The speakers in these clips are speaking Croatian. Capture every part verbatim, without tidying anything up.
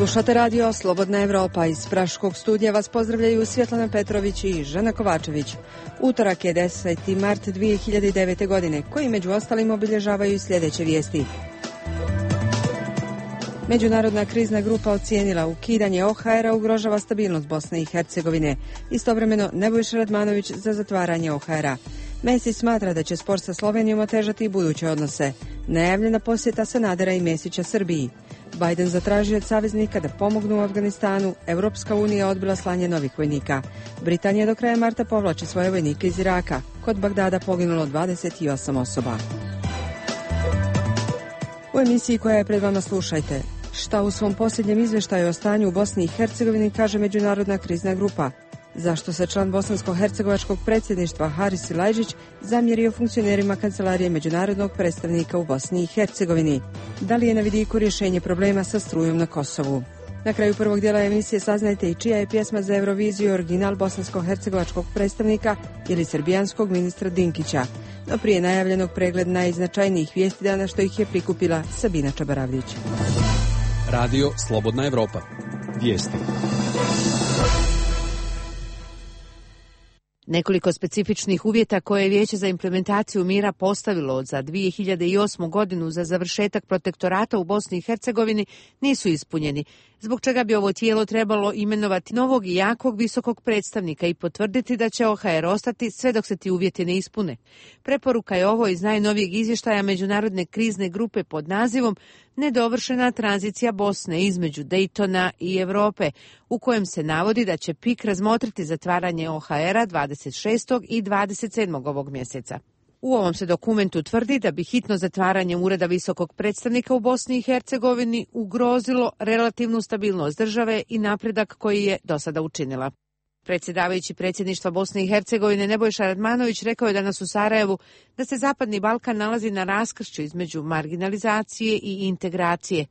Slušate radio Slobodna Evropa. Iz Praškog studija vas pozdravljaju Svjetlana Petrović i Žena Kovačević. Utorak je deseti mart dvije hiljade devete. godine, koji među ostalim obilježavaju i sljedeće vijesti. Međunarodna krizna grupa ocijenila ukidanje O H R-a ugrožava stabilnost Bosne i Hercegovine. Istovremeno Nebojša Radmanović za zatvaranje O H R-a. Mesić smatra da će spor sa Slovenijom otežati i buduće odnose. Najavljena posjeta Sanadera i Mesića Srbiji. Biden zatražio od saveznika da pomognu u Afganistanu. Evropska unija odbila slanje novih vojnika. Britanija do kraja marta povlači svoje vojnike iz Iraka. Kod Bagdada poginulo dvadeset osam osoba. U emisiji koja je pred vama slušajte. Šta u svom posljednjem izvještaju o stanju u Bosni i Hercegovini kaže Međunarodna krizna grupa? Zašto se član bosansko-hercegovačkog predsjedništva Haris Silajđić zamjerio funkcionerima Kancelarije međunarodnog predstavnika u Bosni i Hercegovini? Da li je na vidiku rješenje problema sa strujom na Kosovu? Na kraju prvog dijela emisije saznajte i čija je pjesma za Euroviziju original bosansko-hercegovačkog predstavnika ili srbijanskog ministra Dinkića. No prije najavljenog pregled najznačajnijih vijesti dana što ih je prikupila Sabina Čabaravljić. Radio Slobodna Evropa. Vijesti. Nekoliko specifičnih uvjeta koje je Vijeće za implementaciju mira postavilo za dvije hiljade osmu. godinu za završetak protektorata u Bosni i Hercegovini nisu ispunjeni, zbog čega bi ovo tijelo trebalo imenovati novog i jakog visokog predstavnika i potvrditi da će O H R ostati sve dok se ti uvjeti ne ispune. Preporuka je ovo iz najnovijeg izvještaja Međunarodne krizne grupe pod nazivom Nedovršena tranzicija Bosne između Dejtona i Europe, u kojem se navodi da će P I K razmotriti zatvaranje O H R-a dvadeset šestog i dvadeset sedmog ovog mjeseca. U ovom se dokumentu tvrdi da bi hitno zatvaranje Ureda visokog predstavnika u Bosni i Hercegovini ugrozilo relativnu stabilnost države i napredak koji je do sada učinila. Predsjedavajući predsjedništva Bosne i Hercegovine Nebojša Radmanović rekao je danas u Sarajevu da se Zapadni Balkan nalazi na raskršću između marginalizacije i integracije.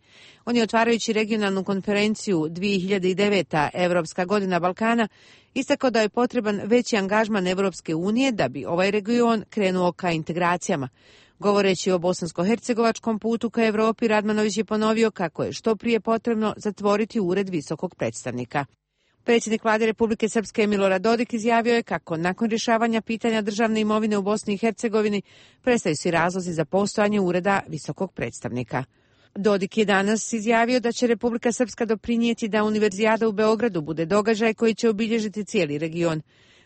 On je otvarajući regionalnu konferenciju dvije hiljade devete. Evropska godina Balkana istakao da je potreban veći angažman Evropske unije da bi ovaj region krenuo ka integracijama. Govoreći o bosansko-hercegovačkom putu ka Evropi, Radmanović je ponovio kako je što prije potrebno zatvoriti ured visokog predstavnika. Predsjednik vlade Republike Srpske Milorad Dodik izjavio je kako nakon rješavanja pitanja državne imovine u Bosni i Hercegovini prestaju svi razlozi za postojanje ureda visokog predstavnika. Dodik je danas izjavio da će Republika Srpska doprinijeti da Univerzijada u Beogradu bude događaj koji će obilježiti cijeli region.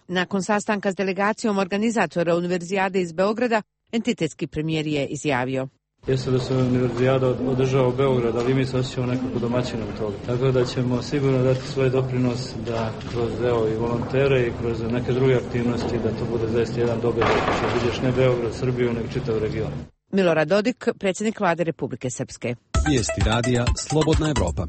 Nakon sastanka s delegacijom organizatora Univerzijade iz Beograda, entitetski premijer je izjavio: Jeste da se Univerzijada održava u Beogradu, ali mi se osjećamo nekako domaćinom toga. Tako da ćemo sigurno dati svoj doprinos da kroz evo, i volontere i kroz neke druge aktivnosti da to bude zaista jedan događaj koji će obilježiti ne Beograd, Srbiju, nego čitav region. Milorad Dodik, predsjednik vlade Republike Srpske. Vijesti radija Slobodna Evropa.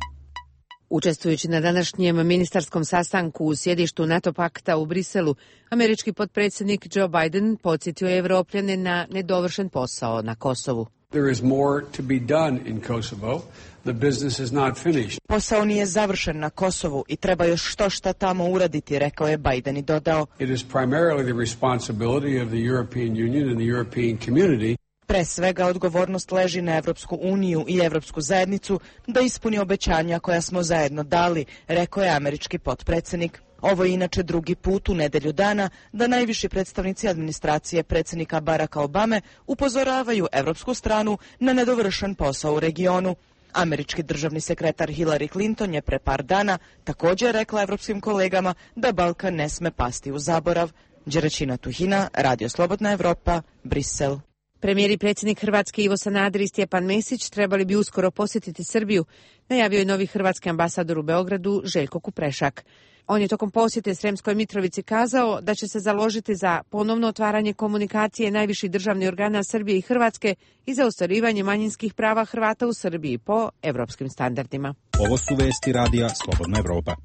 Učestvujući na današnjem ministarskom sastanku u sjedištu NATO pakta u Briselu, američki potpredsjednik Joe Biden podsjetio je Evropljane na nedovršen posao na Kosovu. There is more to be done in Kosovo. The business is not finished. Posao nije završen na Kosovu i treba još što šta tamo uraditi, rekao je Biden i dodao: It is primarily the responsibility of the European Union and the European community. Pre svega odgovornost leži na Evropsku uniju i Evropsku zajednicu da ispuni obećanja koja smo zajedno dali, rekao je američki potpredsjednik. Ovo je inače drugi put u nedelju dana da najviši predstavnici administracije predsjednika Baracka Obame upozoravaju evropsku stranu na nedovršen posao u regionu. Američki državni sekretar Hillary Clinton je pre par dana također rekla evropskim kolegama da Balkan ne sme pasti u zaborav. Đeračina Tuhina, Radio Slobodna Evropa, Brisel. Premijer i predsjednik Hrvatske Ivo Sanader i Stjepan Mesić trebali bi uskoro posjetiti Srbiju, najavio je novi hrvatski ambasador u Beogradu Željko Kuprešak. On je tokom posjete Sremskoj Mitrovici kazao da će se založiti za ponovno otvaranje komunikacije najviših državnih organa Srbije i Hrvatske i za ostvarivanje manjinskih prava Hrvata u Srbiji po evropskim standardima. Ovo su vesti radija Slobodna Evropa.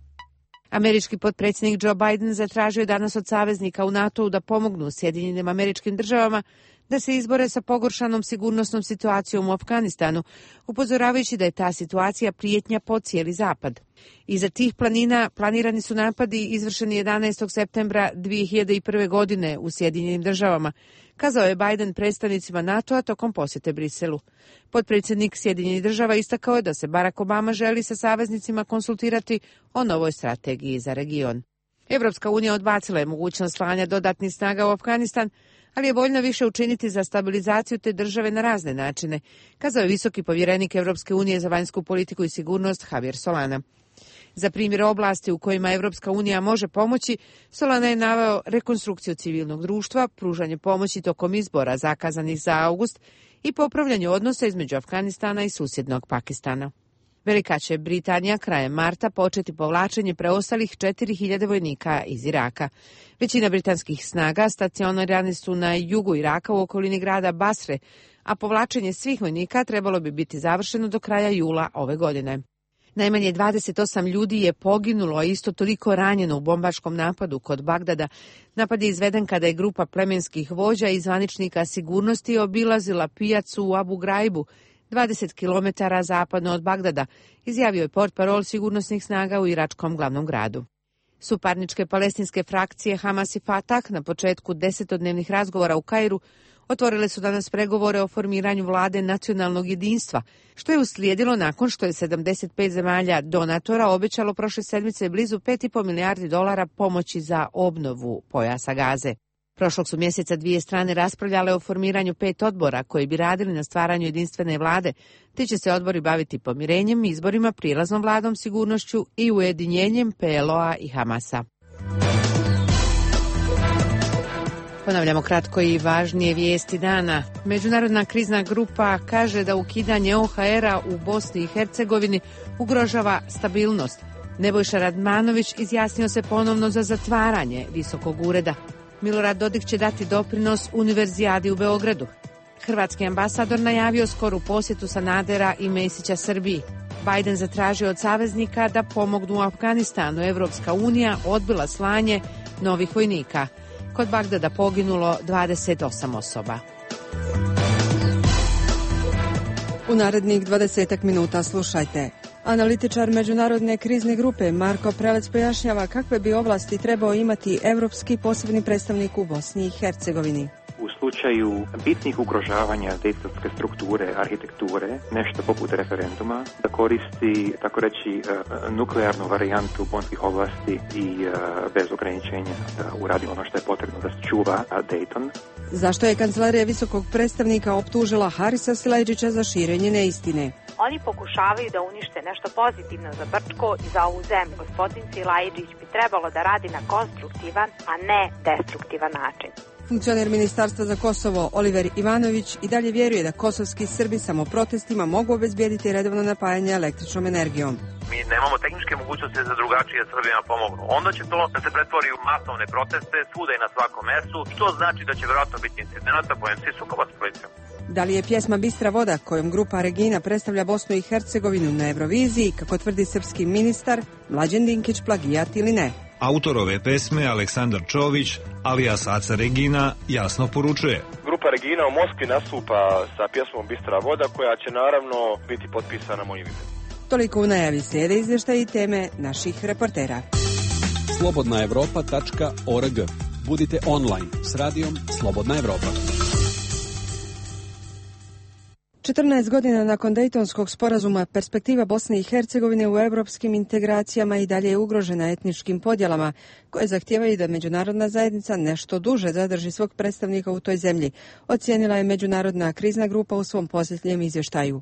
Američki potpredsjednik Joe Biden zatražio je danas od saveznika u NATO-u da pomognu Sjedinjenim Američkim Državama da se izbore sa pogoršanom sigurnosnom situacijom u Afganistanu, upozoravajući da je ta situacija prijetnja po cijeli zapad. Iza tih planina planirani su napadi izvršeni jedanaestog septembra dvije hiljade prve. godine u Sjedinjenim državama, kazao je Biden predstavnicima NATO-a tokom posjete Briselu. Potpredsjednik Sjedinjenih država istakao je da se Barack Obama želi sa saveznicima konsultirati o novoj strategiji za region. Evropska unija odbacila je mogućnost slanja dodatnih snaga u Afganistan, ali je voljna više učiniti za stabilizaciju te države na razne načine, kazao je visoki povjerenik Evropske unije za vanjsku politiku i sigurnost Javier Solana. Za primjer oblasti u kojima Evropska unija može pomoći, Solana je naveo rekonstrukciju civilnog društva, pružanje pomoći tokom izbora zakazanih za august i popravljanje odnosa između Afganistana i susjednog Pakistana. Velika će Britanija krajem marta početi povlačenje preostalih četiri hiljade vojnika iz Iraka. Većina britanskih snaga stacionirani su na jugu Iraka u okolini grada Basre, a povlačenje svih vojnika trebalo bi biti završeno do kraja jula ove godine. Najmanje dvadeset osam ljudi je poginulo, a isto toliko ranjeno u bombaškom napadu kod Bagdada. Napad je izveden kada je grupa plemenskih vođa i zvaničnika sigurnosti obilazila pijacu u Abu Graibu, dvadeset kilometara zapadno od Bagdada, izjavio je portparol sigurnosnih snaga u iračkom glavnom gradu. Suparničke palestinske frakcije Hamas i Fatah na početku desetodnevnih razgovora u Kairu otvorile su danas pregovore o formiranju vlade nacionalnog jedinstva, što je uslijedilo nakon što je sedamdeset pet zemalja donatora obećalo prošle sedmice blizu pet i po milijardi dolara pomoći za obnovu pojasa Gaze. Prošlog su mjeseca dvije strane raspravljale o formiranju pet odbora koji bi radili na stvaranju jedinstvene vlade, te će se odbori baviti pomirenjem, izborima, prilaznom vladom, sigurnošću i ujedinjenjem P L O-a i Hamasa. Ponavljamo kratko i važnije vijesti dana. Međunarodna krizna grupa kaže da ukidanje O H R-a u Bosni i Hercegovini ugrožava stabilnost. Nebojša Radmanović izjasnio se ponovno za zatvaranje visokog ureda. Milorad Dodik će dati doprinos Univerzijadi u Beogradu. Hrvatski ambasador najavio skoru posjetu Sanadera i Mesića Srbiji. Biden zatražio od saveznika da pomognu u Afganistanu. Evropska unija odbila slanje novih vojnika. Kod Bagdada poginulo dvadeset osam osoba. U narednih dvadesetak minuta slušajte. Analitičar Međunarodne krizne grupe Marko Prelec pojašnjava kakve bi ovlasti trebao imati evropski posebni predstavnik u Bosni i Hercegovini. U slučaju bitnih ugrožavanja dejtonske strukture, arhitekture, nešto poput referenduma, da koristi, tako reći, nuklearnu varijantu bonskih oblasti i bez ograničenja da uradi ono što je potrebno da čuva Dayton. Zašto je kancelarija visokog predstavnika optužila Harisa Silajdžića za širenje neistine? Oni pokušavaju da unište nešto pozitivno za Brčko i za ovu zemlju. Gospodin Silajdžić bi trebalo da radi na konstruktivan, a ne destruktivan način. Funkcioner Ministarstva za Kosovo Oliver Ivanović i dalje vjeruje da kosovski Srbi samo protestima mogu obezbijediti redovno napajanje električnom energijom. Mi nemamo tehničke mogućnosti za drugačije Srbima pomognu. Onda će to da se pretvori u masovne proteste svuda i na svakom mjestu, što znači da će vjerojatno biti incidenata po M C sukoba s policijom. Da li je pjesma Bistra voda, kojom grupa Regina predstavlja Bosnu i Hercegovinu na Euroviziji, kako tvrdi srpski ministar, Mlađan Dinkić plagijat ili ne? Autor ove pesme, Aleksandar Čović, alias Aca Regina, jasno poručuje. Grupa Regina u Moskvi nastupa sa pjesmom Bistra voda, koja će naravno biti potpisana mojim imenom. Toliko u najavi slijede izvještaji i teme naših reportera. slobodna evropa tačka org. Budite online s radijom Slobodna Evropa. četrnaest godina nakon Dejtonskog sporazuma, perspektiva Bosne i Hercegovine u europskim integracijama i dalje je ugrožena etničkim podjelama, koje zahtijevaju da međunarodna zajednica nešto duže zadrži svog predstavnika u toj zemlji, ocijenila je Međunarodna krizna grupa u svom posljednjem izvještaju.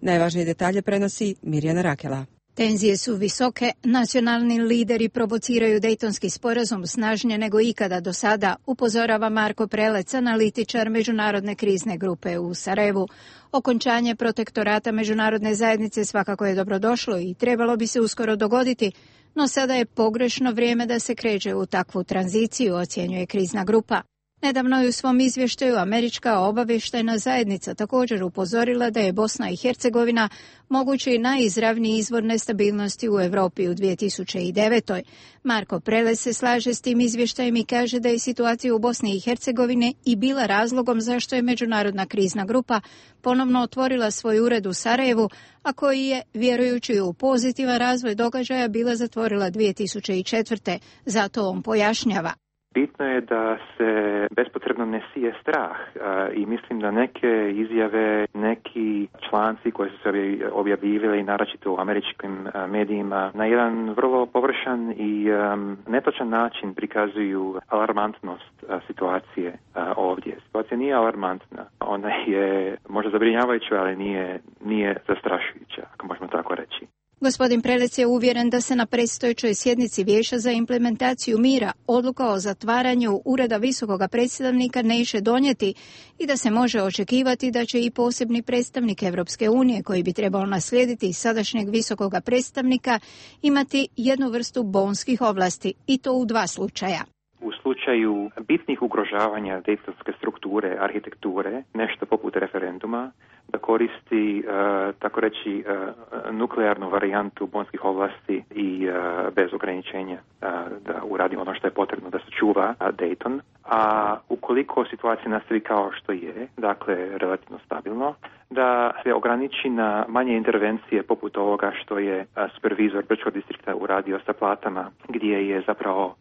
Najvažnije detalje prenosi Mirjana Rakela. Tenzije su visoke, nacionalni lideri provociraju Dejtonski sporazum snažnije nego ikada do sada, upozorava Marko Prelec, analitičar Međunarodne krizne grupe u Sarajevu. Okončanje protektorata međunarodne zajednice svakako je dobrodošlo i trebalo bi se uskoro dogoditi, no sada je pogrešno vrijeme da se kreće u takvu tranziciju, ocjenjuje krizna grupa. Nedavno je u svom izvještaju američka obavještajna zajednica također upozorila da je Bosna i Hercegovina mogući najizravniji izvor nestabilnosti u Europi u dvije tisuće devetoj. Marko Prelec se slaže s tim izvještajem i kaže da je situacija u Bosni i Hercegovini i bila razlogom zašto je Međunarodna krizna grupa ponovno otvorila svoj ured u Sarajevu, a koji je, vjerujući u pozitivan razvoj događaja, bila zatvorila dvije tisuće četvrte. Zato on pojašnjava. Bitno je da se bespotrebno ne sije strah i mislim da neke izjave, neki članci koji su se objavljivali naročito u američkim medijima na jedan vrlo površan i netočan način prikazuju alarmantnost situacije ovdje. Situacija nije alarmantna, ona je možda zabrinjavajuća, ali nije, nije zastrašujuća, ako možemo tako reći. Gospodin Prelec je uvjeren da se na predstojećoj sjednici Vijeća za implementaciju mira odluka o zatvaranju Ureda visokoga predstavnika neće donijeti i da se može očekivati da će i posebni predstavnik Europske unije, koji bi trebao naslijediti sadašnjeg visokoga predstavnika, imati jednu vrstu bonskih ovlasti, i to u dva slučaja. U slučaju bitnih ugrožavanja dejtonske strukture, arhitekture, nešto poput referenduma, da koristi, uh, tako reći, uh, nuklearnu varijantu bonskih ovlasti i uh, bez ograničenja uh, da uradi ono što je potrebno da se čuva uh, Dayton. A ukoliko situacija nastavi kao što je, dakle relativno stabilno, da se ograniči na manje intervencije poput ovoga što je uh, supervizor Brčkog distrikta uradio sa platama, gdje je zapravo uh,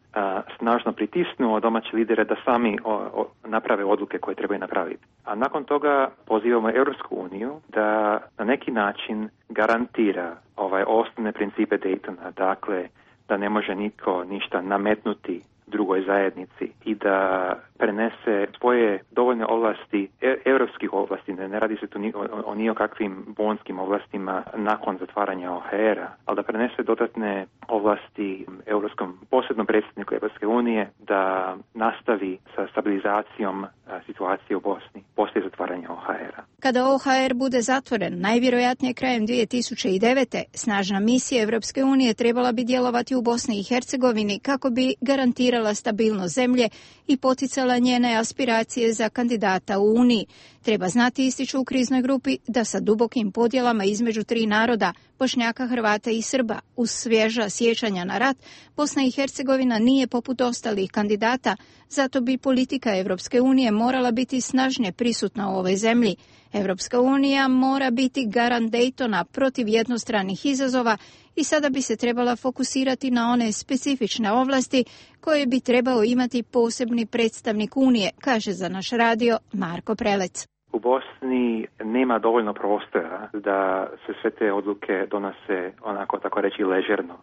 snažno pritisnuo domaće lidere da sami o, o, naprave odluke koje trebaju napraviti. A nakon toga pozivamo Europsku uniju da na neki način garantira ovaj osnovne principe Daytona, dakle da ne može nitko ništa nametnuti drugoj zajednici i da prenese svoje dovoljne ovlasti, e, europskih ovlasti, ne, ne radi se tu ni, o, o nijokakvim bonskim ovlastima nakon zatvaranja O H R-a, ali da prenese dodatne ovlasti europskom posebnom predsjedniku Europske unije da nastavi sa stabilizacijom a, situacije u Bosni poslije zatvaranja O H R-a. Kada O H R bude zatvoren, najvjerojatnije krajem dvije tisuće devete, snažna misija Europske unije trebala bi djelovati u Bosni i Hercegovini kako bi garantirala stabilnost zemlje i poticala njene aspiracije za kandidata u Uniji. Treba znati, ističu u kriznoj grupi, da sa dubokim podjelama između tri naroda, Bošnjaka, Hrvata i Srba, uz svježa sjećanja na rat, Bosna i Hercegovina nije poput ostalih kandidata, zato bi politika Europske unije morala biti snažnije prisutna u ovoj zemlji. Europska unija mora biti garant Daytona protiv jednostranih izazova i sada bi se trebala fokusirati na one specifične ovlasti koje bi trebao imati posebni predstavnik Unije, kaže za naš radio Marko Prelec. U Bosni nema dovoljno prostora da se sve te odluke donose onako, tako reći, ležerno.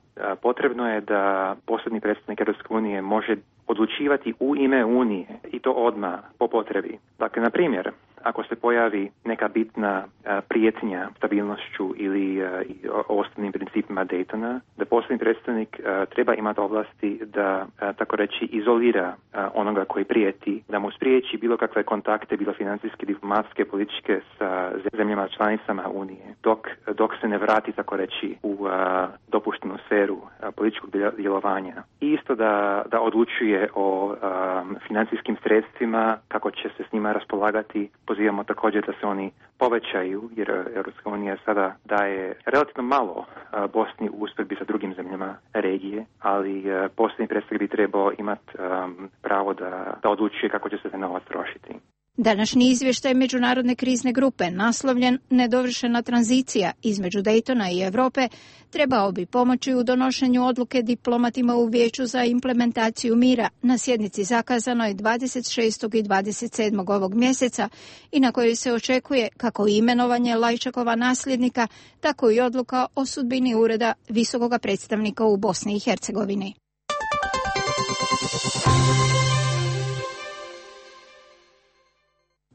Potrebno je da posebni predstavnik Europske unije može odlučivati u ime Unije i to odmah po potrebi. Dakle, na primjer, ako se pojavi neka bitna a, prijetnja stabilnošću ili a, osnovnim principima Daytona, da posebni predstavnik a, treba imati ovlasti da, a, tako reći, izolira a, onoga koji prijeti, da mu spriječi bilo kakve kontakte, bilo financijske, diplomatske, političke sa zemljama članicama Unije, dok, dok se ne vrati, tako reći, u a, dopuštenu sferu a, političkog djelovanja. I isto da, da odlučuje o a, financijskim sredstvima, kako će se s njima raspolagati. Pozivamo također da se oni povećaju, jer Europska unija sada daje relativno malo Bosni u usporedbi sa drugim zemljama regije, ali posljednji predstavnik bi trebao imati um, pravo da, da odlučuje kako će se taj novac trošiti. Današnji izvještaj Međunarodne krizne grupe, naslovljen Nedovršena tranzicija između Daytona i Europe, trebao bi pomoći u donošenju odluke diplomatima u Vijeću za implementaciju mira na sjednici zakazanoj dvadeset šestog i dvadeset sedmog ovog mjeseca i na kojoj se očekuje kako imenovanje Lajčakova nasljednika, tako i odluka o sudbini ureda visokoga predstavnika u Bosni i Hercegovini.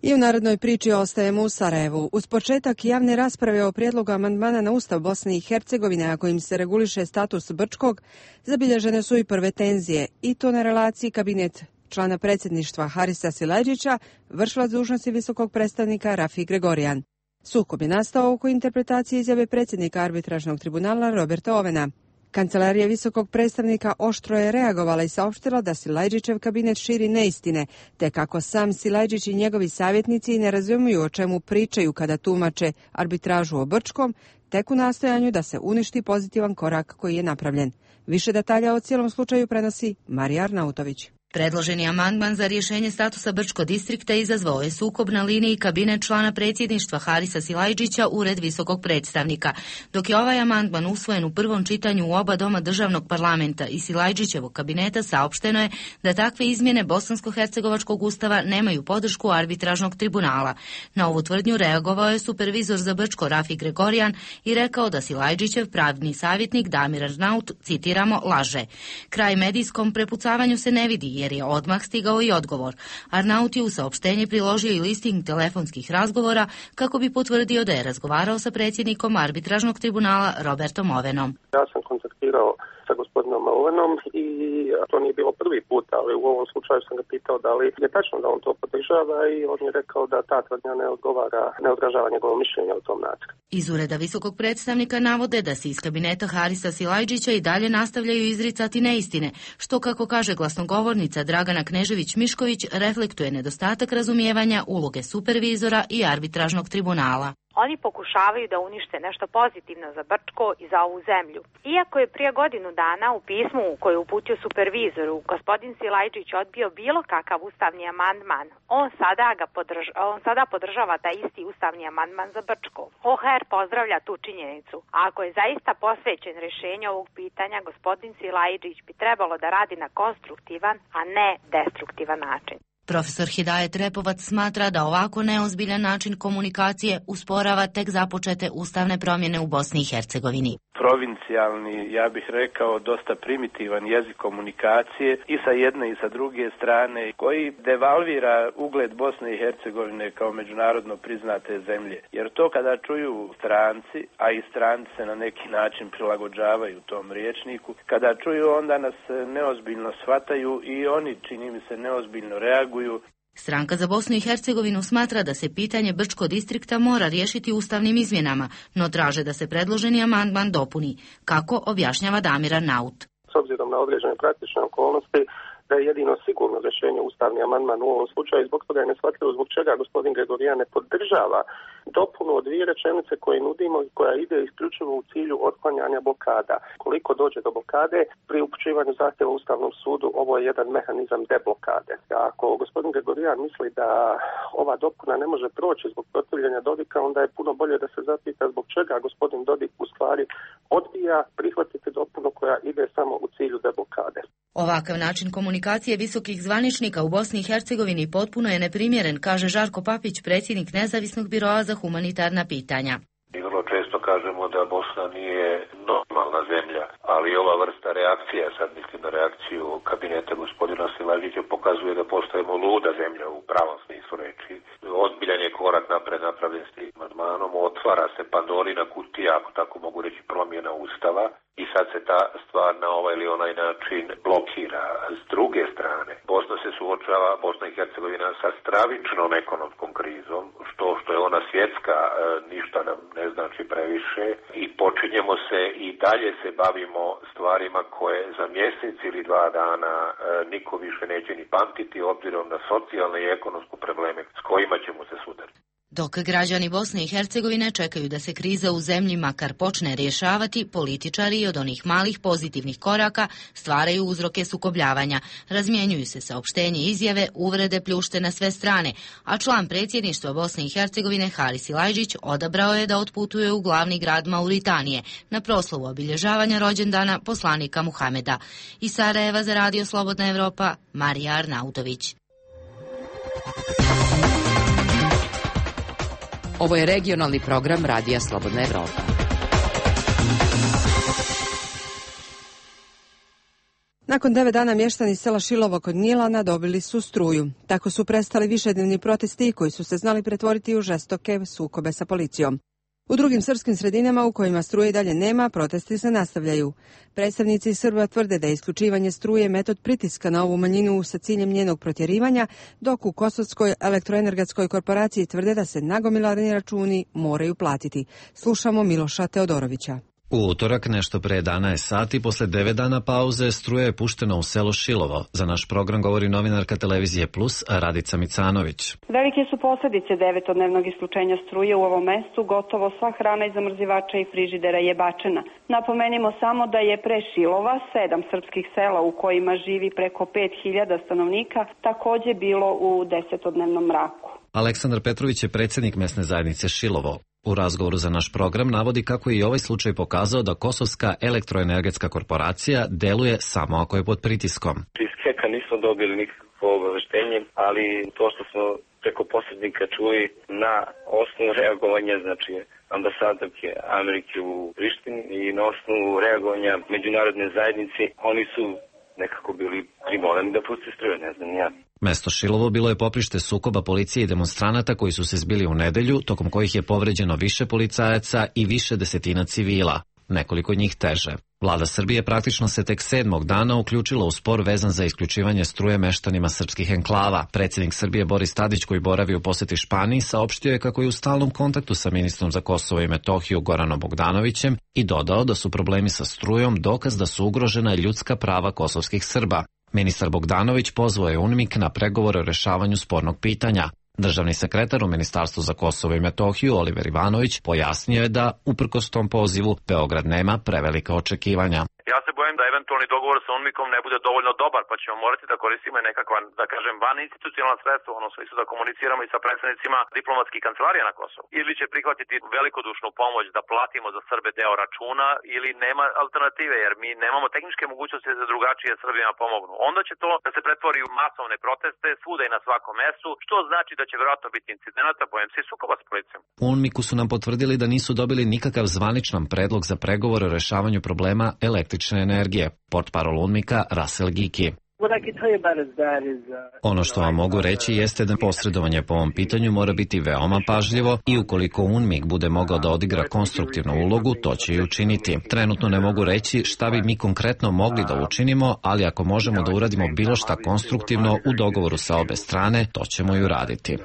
I u narodnoj priči ostajemo u Sarajevu. Uz početak javne rasprave o prijedlogu amandmana na Ustav Bosne i Hercegovine, a kojim se reguliše status Brčkog, zabilježene su i prve tenzije, i to na relaciji kabinet člana predsjedništva Harisa Silajdžića, vršilac dužnosti visokog predstavnika Rafi Gregorijan. Sukob je nastao oko interpretacije izjave predsjednika arbitražnog tribunala Roberta Ovena. Kancelarija visokog predstavnika oštro je reagovala i saopštila da Silajđićev kabinet širi neistine, te kako sam Silajđić i njegovi savjetnici ne razumiju o čemu pričaju kada tumače arbitražu o Brčkom, tek u nastojanju da se uništi pozitivan korak koji je napravljen. Više detalja o cijelom slučaju prenosi Marija Arnautović. Predloženi amandman za rješenje statusa Brčko distrikta izazvao je sukob na liniji kabinet člana predsjedništva Harisa Silajđića, ured visokog predstavnika. Dok je ovaj amandman usvojen u prvom čitanju u oba doma državnog parlamenta i Silajđićevog kabineta, saopšteno je da takve izmjene bosansko-hercegovačkog ustava nemaju podršku arbitražnog tribunala. Na ovu tvrdnju reagovao je supervizor za Brčko Rafi Gregorijan i rekao da Silajđićev pravni savjetnik Damir Arnaut, citiramo, laže. Kraj medijskom prepucavanju se ne vidi, jer je odmah stigao i odgovor. Arnaut je u saopštenje priložio i listing telefonskih razgovora kako bi potvrdio da je razgovarao sa predsjednikom arbitražnog tribunala Robertom Ovenom. Ja sam kontaktirao sa gospodinom Ovenom i to nije bilo prvi put, ali u ovom slučaju sam ga pitao da li je tačno da on to podržava i on je rekao da ta tvrdnja ne odgovara, ne odražava njegovo mišljenje o tom nacrtu. Iz ureda visokog predstavnika navode da se iz kabineta Harisa Silajđića i dalje nastavljaju izricati neistine, što, kako kaže glasnogovornica Dragana Knežević-Mišković, reflektuje nedostatak razumijevanja uloge supervizora i arbitražnog tribunala. Oni pokušavaju da unište nešto pozitivno za Brčko i za ovu zemlju. Iako je prije godinu dana u pismu koje je uputio supervizoru gospodin Silajđić odbio bilo kakav ustavni amandman, on sada, ga podrža, on sada podržava taj isti ustavni amandman za Brčko. O H R pozdravlja tu činjenicu. A ako je zaista posvećen rješenju ovog pitanja, gospodin Silajđić bi trebalo da radi na konstruktivan, a ne destruktivan način. Profesor Hidajet Repovac smatra da ovako neozbiljan način komunikacije usporava tek započete ustavne promjene u Bosni i Hercegovini. Provincijalni, ja bih rekao, dosta primitivan jezik komunikacije i sa jedne i sa druge strane, koji devalvira ugled Bosne i Hercegovine kao međunarodno priznate zemlje. Jer to kada čuju stranci, a i stranci se na neki način prilagođavaju tom rječniku, kada čuju, onda nas neozbiljno shvataju i oni, čini mi se, neozbiljno reaguju. Stranka za Bosnu i Hercegovinu smatra da se pitanje Brčko distrikta mora riješiti ustavnim izmjenama, no traže da se predloženi amandman dopuni. Kako, objašnjava Damir Arnaut. S obzirom na određene praktične okolnosti, da je jedino sigurno rješenje ustavni amandman u ovom slučaju, zbog toga je neshvatljivo zbog čega gospodin Gregorijan ne podržava dopunu od dvije rečenice koje nudimo i koja ide isključivo u cilju otklanjanja blokada. Koliko dođe do blokade, pri upućivanju zahtjeva Ustavnom sudu, ovo je jedan mehanizam deblokade. Ako gospodin Gregorijan misli da ova dopuna ne može proći zbog protivljenja Dodika, onda je puno bolje da se zapita zbog čega gospodin Dodik u stvari odbija prihvatiti dopunu koja ide samo u cilju deblokade. Ovakav način komunikacije visokih zvaničnika u Bosni i Hercegovini potpuno je neprimjeren, kaže Žarko Papić, predsjednik Nezavisnog biroa za humanitarna pitanja. Mi vrlo često kažemo da Bosna nije normalna zemlja, ali ova vrsta reakcija, sad mislim na reakciju kabineta gospodina Silajđića, pokazuje da postajemo luda zemlja u pravom smislu reči. Ozbiljan je korak napred napravljen s tim amandmanom, otvara se Pandorina kutija, ako tako mogu reći, promjena Ustava, i sad se ta stvar na ovaj ili onaj način blokira. S druge strane, Bosna se suočava, Bosna i Hercegovina, sa stravičnom ekonomskom krizom, što, što je ona svjetska, ništa nam ne znači previše, i počinjemo se i dalje se bavimo stvarima koje za mjesec ili dva dana niko više neće ni pamtiti, obzirom na socijalne i ekonomske probleme s kojima ćemo se sudariti. Dok građani Bosne i Hercegovine čekaju da se kriza u zemlji makar počne rješavati, političari od onih malih pozitivnih koraka stvaraju uzroke sukobljavanja. Razmjenjuju se saopštenje, izjave, uvrede pljušte na sve strane, a član predsjedništva Bosne i Hercegovine Haris Silajđić odabrao je da otputuje u glavni grad Mauritanije na proslavu obilježavanja rođendana poslanika Muhameda. Iz Sarajeva za Radio Slobodna Evropa, Marija Arnautović. Ovo je regionalni program Radija Slobodna Evropa. Nakon devet dana mještani sela Šilovo kod Gnjilana dobili su struju. Tako su prestali višednevni protesti koji su se znali pretvoriti u žestoke sukobe sa policijom. U drugim srpskim sredinama u kojima struje i dalje nema, protesti se nastavljaju. Predstavnici Srba tvrde da je isključivanje struje metod pritiska na ovu manjinu sa ciljem njenog protjerivanja, dok u Kosovskoj elektroenergetskoj korporaciji tvrde da se nagomilani računi moraju platiti. Slušamo Miloša Teodorovića. U utorak, nešto pre jedanaest sati, posle devet dana pauze, struja je puštena u selo Šilovo. Za naš program govori novinarka televizije Plus, Radica Micanović. Velike su posljedice devetodnevnog isključenja struje u ovom mestu. Gotovo sva hrana iz zamrzivača i frižidera je bačena. Napomenimo samo da je pre Šilova sedam srpskih sela u kojima živi preko pet hiljada stanovnika takođe bilo u desetodnevnom mraku. Aleksandar Petrović je predsjednik mesne zajednice Šilovo. U razgovoru za naš program navodi kako je i ovaj slučaj pokazao da Kosovska elektroenergetska korporacija deluje samo ako je pod pritiskom. Iz Heka nismo dobili nikakvo obaveštenje, ali to što smo preko posrednika čuli na osnovu reagovanja, znači ambasadorke Amerike u Prištini i na osnovu reagovanja međunarodne zajednice, oni su nekako bili primorani da puste struje, ne znam ja. Mesto Šilovo bilo je poprište sukoba policije i demonstranata koji su se zbili u nedelju, tokom kojih je povređeno više policajaca i više desetina civila, nekoliko njih teže. Vlada Srbije praktično se tek sedmog dana uključila u spor vezan za isključivanje struje meštanima srpskih enklava. Predsjednik Srbije Boris Tadić, koji boravi u poseti Španiji, saopštio je kako je u stalnom kontaktu sa ministrom za Kosovo i Metohiju Goranom Bogdanovićem i dodao da su problemi sa strujom dokaz da su ugrožena ljudska prava kosovskih Srba. Ministar Bogdanović pozvao je UNMIK na pregovore o rešavanju spornog pitanja. Državni sekretar u Ministarstvu za Kosovo i Metohiju Oliver Ivanović pojasnio je da, uprkos tom pozivu, Beograd nema prevelika očekivanja. Ja se bojim da eventualni dogovor sa UNMIK-om ne bude dovoljno dobar, pa ćemo morati da koristimo nekakva, da kažem, van institucionalna sredstva, ono smislu da komuniciramo i sa predstavnicima diplomatskih kancelarija na Kosovu. Ili će prihvatiti velikodušnu pomoć da platimo za Srbe deo računa, ili nema alternative, jer mi nemamo tehničke mogućnosti da drugačije Srbima pomognu. Onda će to da se pretvori u masovne proteste svuda i na svakom mestu, što znači da će verovatno biti incidenata, bojem se i sukoba s policijom. U UNMIK-u su nam potvrdili da nisu dobili nikakav zvaničan predlog za pregovore o rešavanju problema električne energije. Portparol UNMIK-a Russell Giki. Ono što vam mogu reći jeste da posredovanje po ovom pitanju mora biti veoma pažljivo i ukoliko UNMIK bude mogao da odigra konstruktivnu ulogu, to će i učiniti. Trenutno ne mogu reći šta bi mi konkretno mogli da učinimo, ali ako možemo da uradimo bilo šta konstruktivno u dogovoru sa obe strane, to ćemo i uraditi.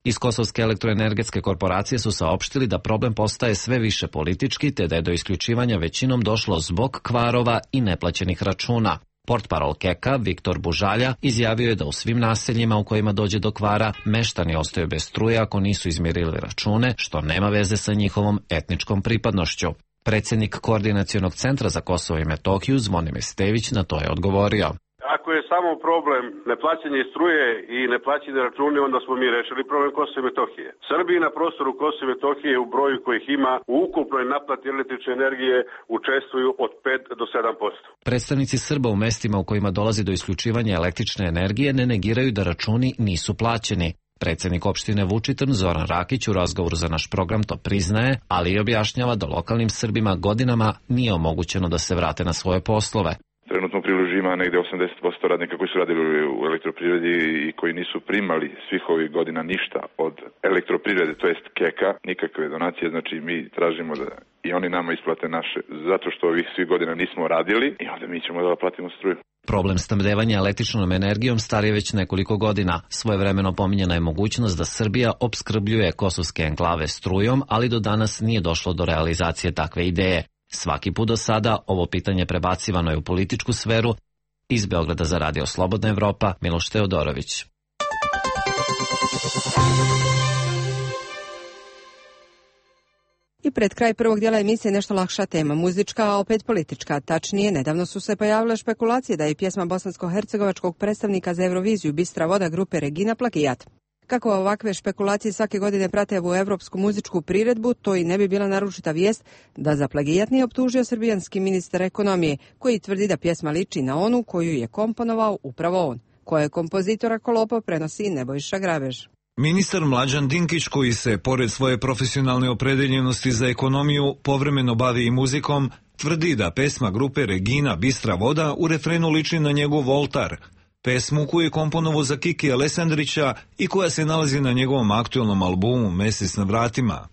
Iz Kosovske elektroenergetske korporacije su saopštili da problem postaje sve više politički, te da je do isključivanja većinom došlo zbog kvarova i neplaćenih računa. Portparol Keka, Viktor Bužalja, izjavio je da u svim naseljima u kojima dođe do kvara, meštani ostaju bez struje ako nisu izmirili račune, što nema veze sa njihovom etničkom pripadnošću. Predsjednik Koordinacionog centra za Kosovo i Metohiju, Zvonimir Stević, na to je odgovorio. Ako je samo problem neplaćanje struje i neplaćanje račune, onda smo mi rešili problem Kosova i Metohije. Srbiji na prostoru Kosova i Metohije u broju kojih ima u ukupnoj naplati električne energije učestvuju od pet do sedam posto. Predstavnici Srba u mestima u kojima dolazi do isključivanja električne energije ne negiraju da računi nisu plaćeni. Predsjednik opštine Vučitrn Zoran Rakić u razgovoru za naš program to priznaje, ali i objašnjava da lokalnim Srbima godinama nije omogućeno da se vrate na svoje poslove. Trenutno priloži ima negde osamdeset posto radnika koji su radili u elektroprivredi i koji nisu primali svih ovih godina ništa od elektroprivrede, to jest Keka, nikakve donacije, znači mi tražimo da i oni nama isplate naše, zato što ovih svih godina nismo radili i onda mi ćemo da platimo struju. Problem snabdevanja električnom energijom star je već nekoliko godina. Svojevremeno pominjena je mogućnost da Srbija opskrbljuje kosovske enklave strujom, ali do danas nije došlo do realizacije takve ideje. Svaki put do sada ovo pitanje prebacivano je u političku sferu. Iz Beograda za Radio Slobodna Evropa, Miloš Teodorović. I pred kraj prvog dijela emisije nešto lakša tema, muzička, a opet politička. Tačnije, nedavno su se pojavile špekulacije da je pjesma bosansko-hercegovačkog predstavnika za Euroviziju Bistra voda grupe Regina plagijat. Kako ovakve špekulacije svake godine prate u evropsku muzičku priredbu, to i ne bi bila naručita vijest da za plagijat nije optužio srbijanski ministar ekonomije, koji tvrdi da pjesma liči na onu koju je komponovao upravo on. Koje je kompozitora Kolopo prenosi Nebojša Grabež. Ministar Mlađan Dinkić, koji se, pored svoje profesionalne opredeljenosti za ekonomiju, povremeno bavi i muzikom, tvrdi da pesma grupe Regina Bistra voda u refrenu liči na njegov Voltar, pesmu koju je komponovao za Kiki Alesandrića i koja se nalazi na njegovom aktualnom albumu Mesec na vratima.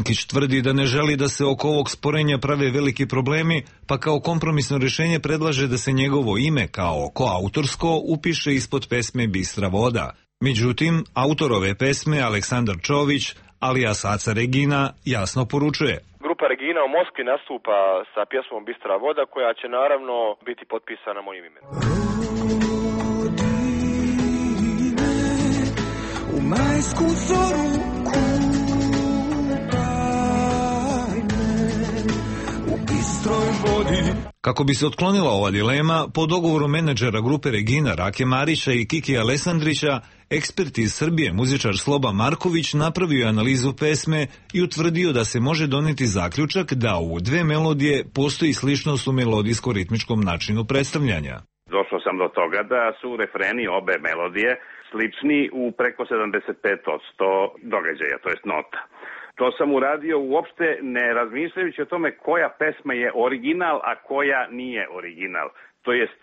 Dinkić tvrdi da ne želi da se oko ovog sporenja prave veliki problemi, pa kao kompromisno rješenje predlaže da se njegovo ime kao koautorsko upiše ispod pesme Bistra voda. Međutim, autor ove pesme, Aleksandar Čović, alias Aca Regina, jasno poručuje: Grupa Regina u Moskvi nastupa sa pjesmom Bistra voda, koja će naravno biti potpisana mojim imenom. U majsku zoru Kako bi se otklonila ova dilema, po dogovoru menadžera grupe Regina Rake Marića i Kiki Alesandrića, ekspert iz Srbije, muzičar Sloba Marković, napravio je analizu pesme i utvrdio da se može doneti zaključak da u dve melodije postoji sličnost u melodijsko-ritmičkom načinu predstavljanja. Došao sam do toga da su refreni obe melodije slični u preko sedamdeset pet posto događaja, to jest nota. To sam uradio uopšte ne razmišljajući o tome koja pesma je original, a koja nije original. To jest,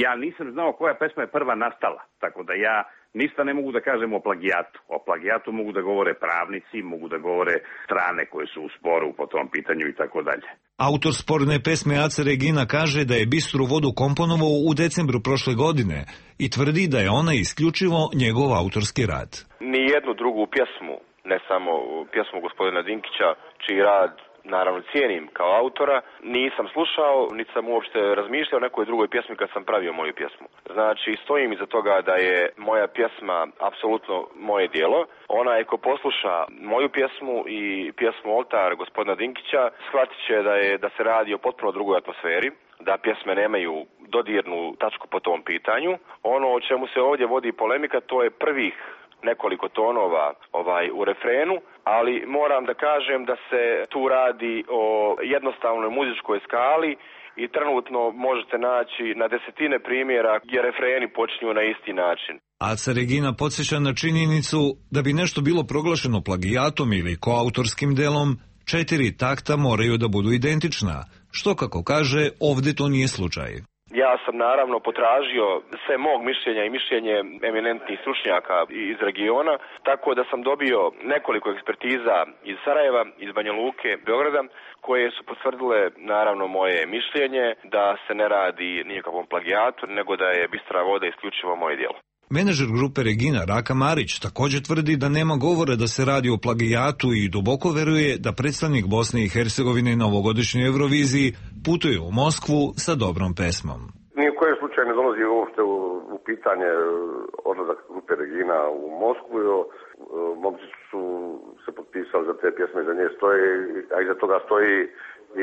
ja nisam znao koja pesma je prva nastala, tako da ja ništa ne mogu da kažem o plagijatu. O plagijatu mogu da govore pravnici, mogu da govore strane koje su u sporu po tom pitanju i tako dalje. Autor sporne pesme Aca Regina kaže da je Bistru vodu komponovao u decembru prošle godine i tvrdi da je ona isključivo njegov autorski rad. Nijednu drugu pjesmu, ne samo pjesmu gospodina Dinkića, čiji rad naravno cijenim kao autora, nisam slušao, niti sam uopšte razmišljao o nekoj drugoj pjesmi kad sam pravio moju pjesmu. Znači, stojim iza toga da je moja pjesma apsolutno moje djelo. Ona je ko posluša moju pjesmu i pjesmu Oltar gospodina Dinkića, shvatit će da, je, da se radi o potpuno drugoj atmosferi, da pjesme nemaju dodirnu tačku po tom pitanju. Ono o čemu se ovdje vodi polemika, to je prvih nekoliko tonova ovaj u refrenu, ali moram da kažem da se tu radi o jednostavnoj muzičkoj skali i trenutno možete naći na desetine primjera gdje refreni počinju na isti način. Aca Regina podsjeća na činjenicu da bi nešto bilo proglašeno plagijatom ili koautorskim delom, četiri takta moraju da budu identična, što kako kaže, ovdje to nije slučaj. Ja sam naravno potražio sve mog mišljenja i mišljenje eminentnih stručnjaka iz regiona, tako da sam dobio nekoliko ekspertiza iz Sarajeva, iz Banja Luke, Beograda, koje su potvrdile naravno moje mišljenje da se ne radi nikakvom plagijatu, nego da je Bistra voda isključivo moje djelo. Menadžer grupe Regina Raka Marić također tvrdi da nema govora da se radi o plagijatu i duboko veruje da predstavnik Bosne i Hercegovine na ovogodišnjoj Euroviziji putuje u Moskvu sa dobrom pesmom. Ni u kojem slučaju ne dolazi uopšte u, u pitanje odlazak grupe Regina u Moskvu. Momci su se potpisali za te pjesme, za nje stoji, a iza toga stoji